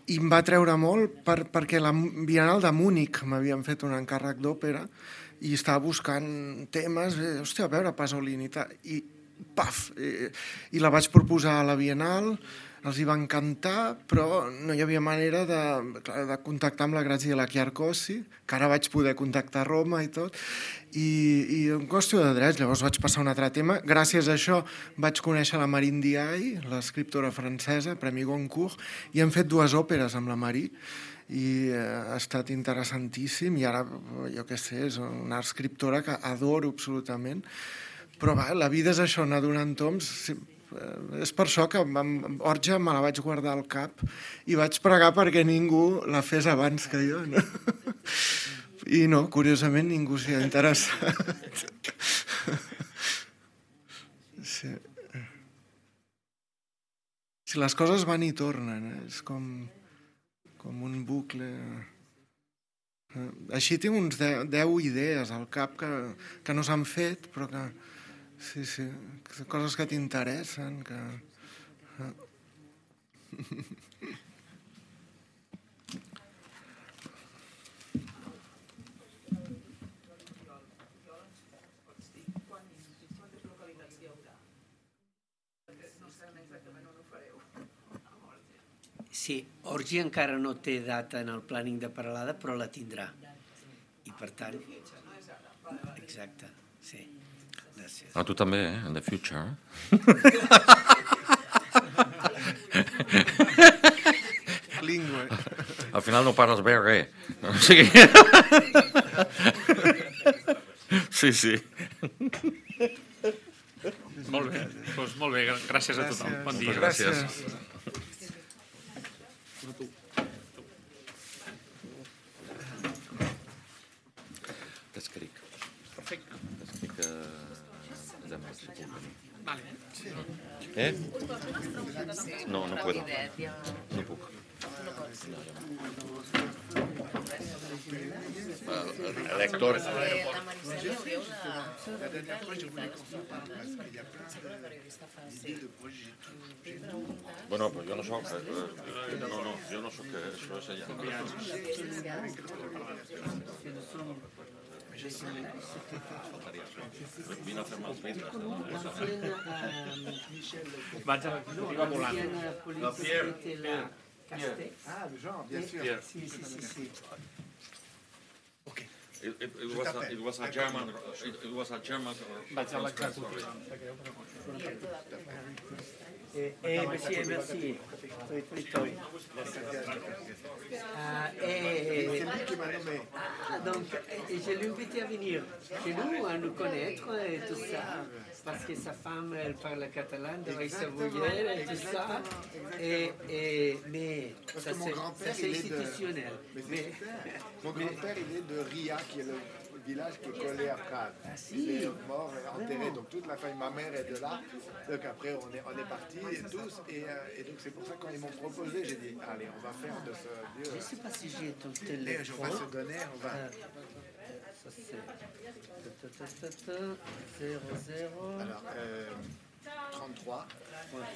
[SPEAKER 3] i em va treure molt per, perquè la Bienal de Múnich m'havien fet un encàrrec d'òpera i estava buscant temes, eh, hòstia, a veure, Pasolini, i paf, i, i la vaig proposar a la Bienal, els hi va encantar, però no hi havia manera de, de contactar amb la Graziella Chiarcosi, que ara vaig poder contactar a Roma i tot, i, i en qüestió de drets, llavors vaig passar a un altre tema. Gràcies a això vaig conèixer la Marine Diaye, l'escriptora francesa, Premi Goncourt, i hem fet dues òperes amb la Marie, i ha estat interessantíssim, i ara, jo què sé, és una escriptora que adoro absolutament, però va, la vida és això, anar donant toms. És per això que amb Orgia me la vaig guardar al cap i vaig pregar perquè ningú la fes abans que jo, no? I no, curiosament ningú s'hi ha interessat. Sí. Si les coses van i tornen, eh? És com, com un bucle. Així tinc uns deu, deu idees al cap que, que no s'han fet, però que, sí, sí, que coses que t'interessen, que...
[SPEAKER 2] Sí, Orgia encara no té data en el planning de Peralada, però la tindrà. I per tant... Exacte, sí. Gràcies.
[SPEAKER 4] Ah, tu també, eh? In the future.
[SPEAKER 3] Lingüe.
[SPEAKER 4] Al final no parles bé res. O sigui... Sí, sí.
[SPEAKER 1] Molt bé, doncs molt bé, gràcies a tothom. Bon dia.
[SPEAKER 4] Gràcies. T'escric.
[SPEAKER 1] Perfecte.
[SPEAKER 4] T'escric demà, si puc venir.
[SPEAKER 1] Vale.
[SPEAKER 4] Eh? No, no puedo. No puc. El lector...
[SPEAKER 12] La Maricel li hauríeu de...
[SPEAKER 4] Bueno, però jo no soc... No, no, jo no soc... Això és allà. Vine a fer-me els vidres.
[SPEAKER 1] Vaig a la volant.
[SPEAKER 2] La Pierre.
[SPEAKER 3] Ah, le genre, bien sûr.
[SPEAKER 2] Sí, sí, sí, sí.
[SPEAKER 3] Ok.
[SPEAKER 4] It, it, it, was a, it was a German... It, it was a German...
[SPEAKER 1] Vaig a l'execució.
[SPEAKER 2] Eh, eh, merci, merci. Toi, toi, toi. Ah, eh,
[SPEAKER 3] C'est lui qui m'a nommé.
[SPEAKER 2] ah, donc, et je l'ai invité à venir chez nous, à nous connaître et tout ça, parce que sa femme, elle parle catalan, de Savoyère et tout ça. Et, et, mais
[SPEAKER 3] Parce
[SPEAKER 2] ça,
[SPEAKER 3] que mon
[SPEAKER 2] c'est,
[SPEAKER 3] grand-père,
[SPEAKER 2] ça, c'est
[SPEAKER 3] il est de...
[SPEAKER 2] institutionnel.
[SPEAKER 3] Mais c'est
[SPEAKER 2] Mais-
[SPEAKER 3] super. Mon grand-père, il est de Ria, qui est le village qui est collé à Prague.
[SPEAKER 2] si.
[SPEAKER 3] Il est mort et enterré, donc toute la famille, ma mère est de là. Donc après, on est, on est partis tous. Et, euh, et donc c'est pour ça que quand ils m'ont proposé, j'ai dit, allez, on va faire de ce lieu.
[SPEAKER 2] Je ne sais pas si j'ai ton
[SPEAKER 3] Et
[SPEAKER 2] téléphone.
[SPEAKER 3] on va se donner, on va...
[SPEAKER 2] Euh, ça c'est ta, ta, ta, ta, zéro zéro
[SPEAKER 3] Alors, euh, trente-trois.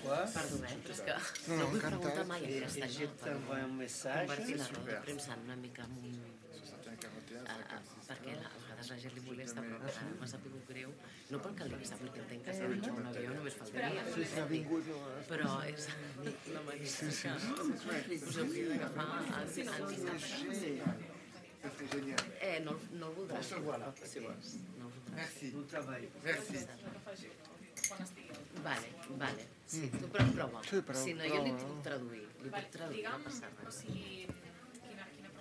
[SPEAKER 2] trois.
[SPEAKER 12] Perdó, eh, però és que
[SPEAKER 3] No,
[SPEAKER 12] no vull
[SPEAKER 3] encantat.
[SPEAKER 12] preguntar mai en
[SPEAKER 2] Et, et
[SPEAKER 12] castellà
[SPEAKER 2] je
[SPEAKER 12] per
[SPEAKER 2] t'envoie un message.
[SPEAKER 12] convertir la roda de
[SPEAKER 3] super.
[SPEAKER 12] premsa en una mica en un...
[SPEAKER 3] soixante-et un, quarante et un,
[SPEAKER 12] Uh,
[SPEAKER 3] cinquante-six.
[SPEAKER 12] perquè la, a vegades la gent li molesta, però ara m'ha sabut greu. No pel Calixte, perquè entenc que s'ha dit un avió, només faltaria. Però és la Marisa que us hauria d'agafar als anys.
[SPEAKER 3] C'était génial.
[SPEAKER 12] Eh, no, no el voldràs.
[SPEAKER 3] Se voilà.
[SPEAKER 12] Si vols, no el voldràs.
[SPEAKER 3] Merci.
[SPEAKER 2] Bon treball.
[SPEAKER 3] Merci.
[SPEAKER 12] Vale, vale. Sí, tu però prova.
[SPEAKER 3] Sí, però
[SPEAKER 12] Si no, jo li
[SPEAKER 3] prova.
[SPEAKER 12] puc traduir. Li puc traduir, no passa res.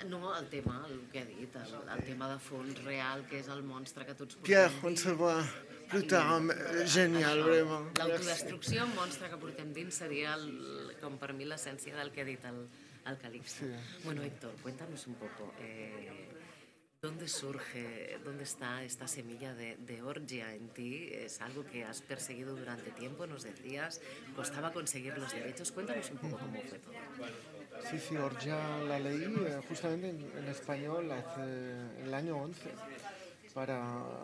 [SPEAKER 12] No, el tema, el que he dit, el, el tema de fons real, que és el monstre que tots
[SPEAKER 3] Pierre,
[SPEAKER 12] portem
[SPEAKER 3] on se voit plus tard. Génial, vraiment. Merci.
[SPEAKER 12] L'autodestrucció, el monstre que portem dins, seria, el, com per mi, l'essència del que ha dit el, el Calixte.
[SPEAKER 3] Sí.
[SPEAKER 12] Bueno, Héctor, cuéntanos un poco. Eh, ¿Dónde surge, dónde está esta semilla de, de Orgia en ti? ¿Es algo que has perseguido durante tiempo? Nos decías, costaba conseguir los derechos. Cuéntanos un poco cómo fue todo.
[SPEAKER 3] Sí, sí, Orgia la leí eh, justamente en, en español hace, en el año once para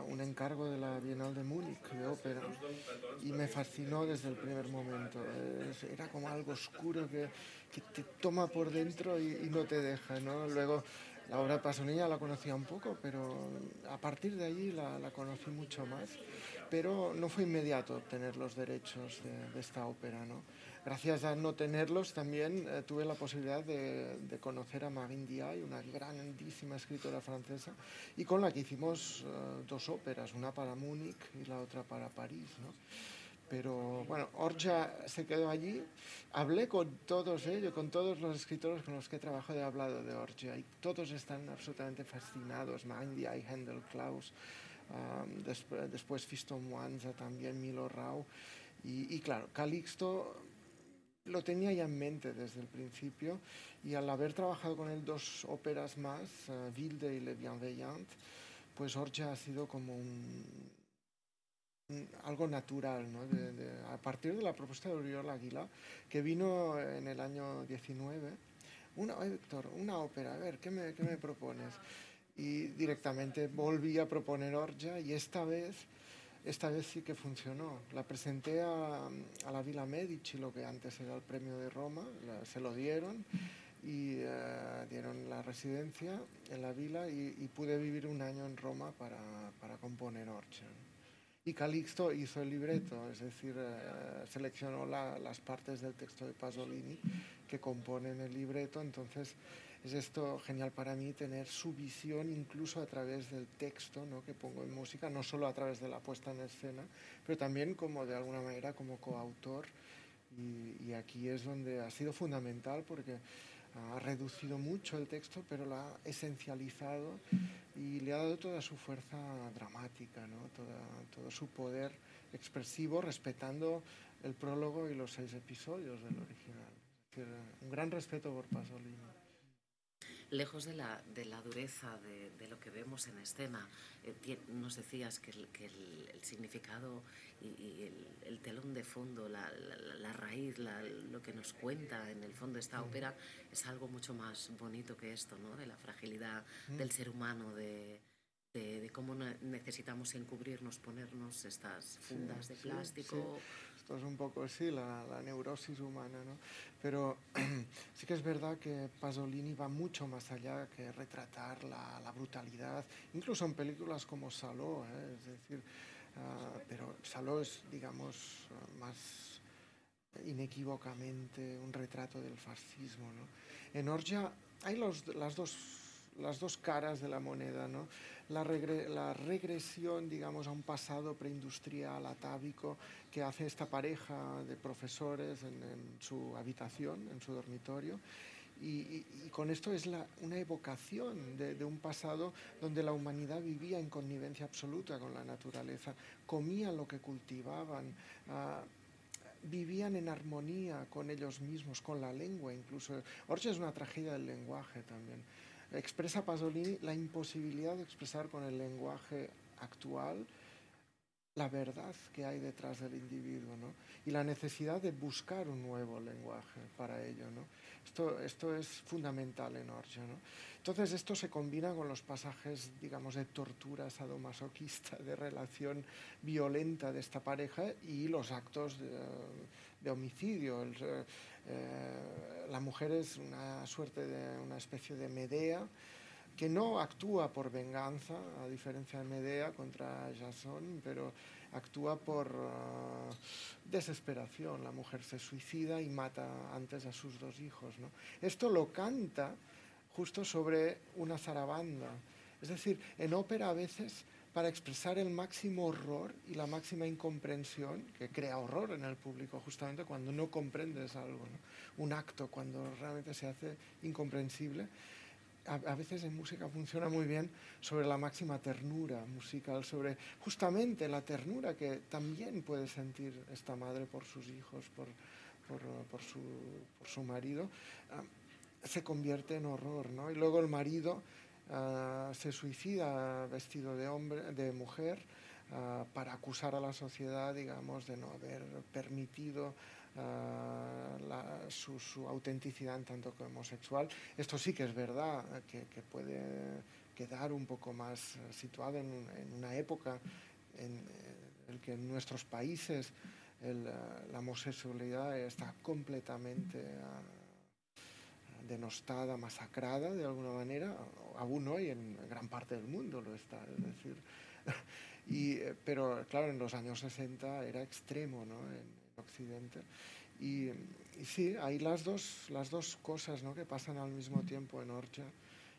[SPEAKER 3] un encargo de la Bienal de Múnich de ópera y me fascinó desde el primer momento. Es- era como algo oscuro que, que te toma por dentro y, y no te deja, ¿no? Luego la obra de Pasolini la conocía un poco, pero a partir de allí la, la conocí mucho más. Pero no fue inmediato obtener los derechos de, de esta ópera, ¿no? Gracias a no tenerlos también eh, tuve la posibilidad de, de conocer a Marine Diaye, una grandísima escritora francesa, y con la que hicimos eh, dos óperas, una para Múnich y la otra para París, ¿no? Pero bueno, Orja se quedó allí. Hablé con todos ellos, con todos los escritores con los que he trabajado, he hablado de Orja y todos están absolutamente fascinados. Mandiay, Handel Klaus, um, después, después Fisto Mwanza, también Milo Rau. Y, y claro, Calixto lo tenía ya en mente desde el principio y al haber trabajado con él dos óperas más, uh, Wilde y Le Bienveillant, pues Orja ha sido como un, un, algo natural, ¿no? De, de, a partir de la propuesta de Oriol Aguilà, que vino en el año diecinueve, una, oye, Víctor, una ópera, a ver, ¿qué me, qué me propones? Y directamente volví a proponer Orja y esta vez Esta vez sí que funcionó. La presenté a, a la Villa Medici, lo que antes era el premio de Roma, la, se lo dieron y uh, dieron la residencia en la villa y, y pude vivir un año en Roma para, para componer Orja. Y Calixto hizo el libreto, es decir, uh, seleccionó la, las partes del texto de Pasolini que componen el libreto, entonces es esto genial para mí, tener su visión incluso a través del texto, ¿no? Que pongo en música, no solo a través de la puesta en escena, pero también como de alguna manera como coautor. Y, y aquí es donde ha sido fundamental porque ha reducido mucho el texto, pero lo ha esencializado y le ha dado toda su fuerza dramática, ¿no? Toda, todo su poder expresivo, respetando el prólogo y los seis episodios del original. Es decir, un gran respeto por Pasolini.
[SPEAKER 12] Lejos de la, de la dureza de, de lo que vemos en escena, eh, nos decías que el, que el, el significado y, y el, el telón de fondo, la, la, la raíz, la, lo que nos cuenta en el fondo esta ópera es algo mucho más bonito que esto, ¿no? De la fragilidad mm. del ser humano, de, de, de cómo necesitamos encubrirnos, ponernos estas fundas sí, de plástico.
[SPEAKER 3] Sí, sí. Esto es un poco, sí, la, la neurosis humana, ¿no? Pero sí que es verdad que Pasolini va mucho más allá que retratar la, la brutalidad, incluso en películas como Saló, ¿eh? Es decir, uh, pero Saló es, digamos, más inequívocamente un retrato del fascismo, ¿no? En Orja hay los, las dos las dos caras de la moneda, ¿no? La, regre, la regresión, digamos, a un pasado preindustrial, atávico, que hace esta pareja de profesores en, en su habitación, en su dormitorio, y, y, y con esto es la, una evocación de, de un pasado donde la humanidad vivía en connivencia absoluta con la naturaleza, comían lo que cultivaban, uh, vivían en armonía con ellos mismos, con la lengua incluso. Orja es una tragedia del lenguaje también. Expresa Pasolini la imposibilidad de expresar con el lenguaje actual la verdad que hay detrás del individuo, ¿no? Y la necesidad de buscar un nuevo lenguaje para ello, ¿no? Esto, esto es fundamental en Orja, ¿no? Entonces esto se combina con los pasajes, digamos, de tortura sadomasoquista, de relación violenta de esta pareja y los actos de, de homicidio. El, eh, la mujer es una suerte de una especie de Medea que no actúa por venganza, a diferencia de Medea contra Jasón, pero actúa por uh, desesperación. La mujer se suicida y mata antes a sus dos hijos, ¿no? Esto lo canta justo sobre una zarabanda. Es decir, en ópera a veces, para expresar el máximo horror y la máxima incomprensión, que crea horror en el público justamente cuando no comprendes algo, ¿no? Un acto cuando realmente se hace incomprensible. A veces en música funciona muy bien sobre la máxima ternura musical, sobre justamente la ternura que también puede sentir esta madre por sus hijos, por, por, por, su, por su marido, uh, se convierte en horror, ¿no? Y luego el marido uh, se suicida vestido de, hombre, de mujer uh, para acusar a la sociedad, digamos, de no haber permitido Uh, la, su, su autenticidad en tanto que homosexual. Esto sí que es verdad, que, que puede quedar un poco más situado en, en una época en el que en nuestros países el, la homosexualidad está completamente uh, denostada, masacrada de alguna manera, aún hoy en gran parte del mundo lo está, es decir, y, pero claro, en los años sesenta era extremo, ¿no? En, Occidente y, y sí, hay las dos, las dos cosas, ¿no? Que pasan al mismo tiempo en Orja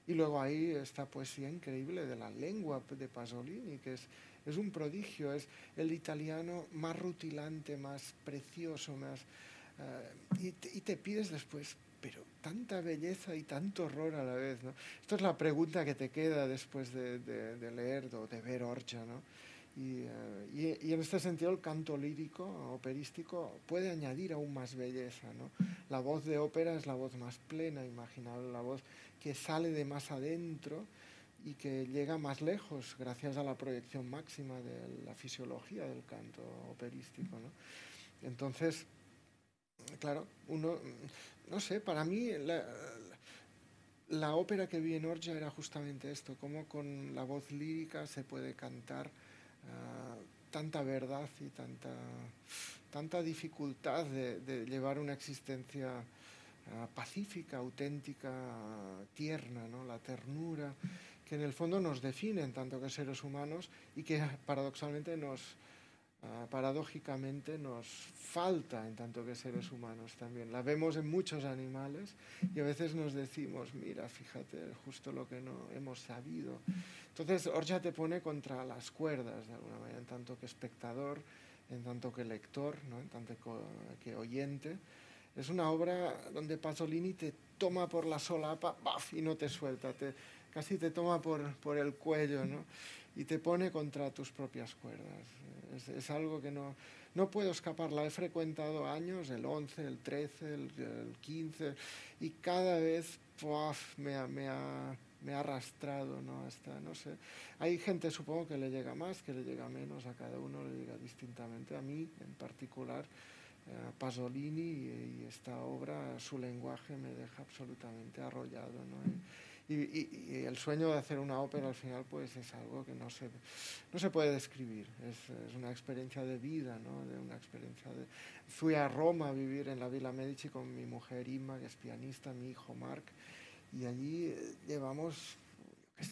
[SPEAKER 3] Y luego hay esta poesía increíble de la lengua de Pasolini, que es, es un prodigio, es el italiano más rutilante, más precioso, más... Uh, y, te, y te pides después, pero tanta belleza y tanto horror a la vez, ¿no? Esto es la pregunta que te queda después de, de, de leer o de ver Orgia, ¿no? Y, uh, y, y en este sentido el canto lírico, operístico, puede añadir aún más belleza, ¿no? La voz de ópera es la voz más plena, imaginable, la voz que sale de más adentro y que llega más lejos gracias a la proyección máxima de la fisiología del canto operístico, ¿no? Entonces, claro, uno, no sé, para mí la, la ópera que vi en Orgia era justamente esto, cómo con la voz lírica se puede cantar uh, tanta verdad y tanta, tanta dificultad de, de llevar una existencia uh, pacífica, auténtica, uh, tierna, ¿no? La ternura, que en el fondo nos define en tanto que seres humanos y que paradoxalmente nos... Uh, paradójicamente nos falta en tanto que seres humanos también. La vemos en muchos animales y a veces nos decimos, mira, fíjate, justo lo que no hemos sabido. Entonces, Orgia te pone contra las cuerdas, de alguna manera, en tanto que espectador, en tanto que lector, ¿no? En tanto que oyente. Es una obra donde Pasolini te toma por la solapa, ¡baf!, y no te suelta, te, casi te toma por, por el cuello, ¿no? Y te pone contra tus propias cuerdas. Es, es algo que no, no puedo escapar. La he frecuentado años, el once, el trece, el, el quince, y cada vez ¡puaf!, me, ha, me, ha, me ha arrastrado, ¿no? Hasta, no sé. Hay gente, supongo, que le llega más, que le llega menos, a cada uno le llega distintamente. A mí, en particular, eh, Pasolini y, y esta obra, su lenguaje me deja absolutamente arrollado, ¿no? Y, Y, y, y el sueño de hacer una ópera al final pues es algo que no se, no se puede describir, es, es una experiencia de vida, ¿no? De una experiencia de... Fui a Roma a vivir en la Villa Medici con mi mujer Inma, que es pianista, mi hijo Marc, y allí llevamos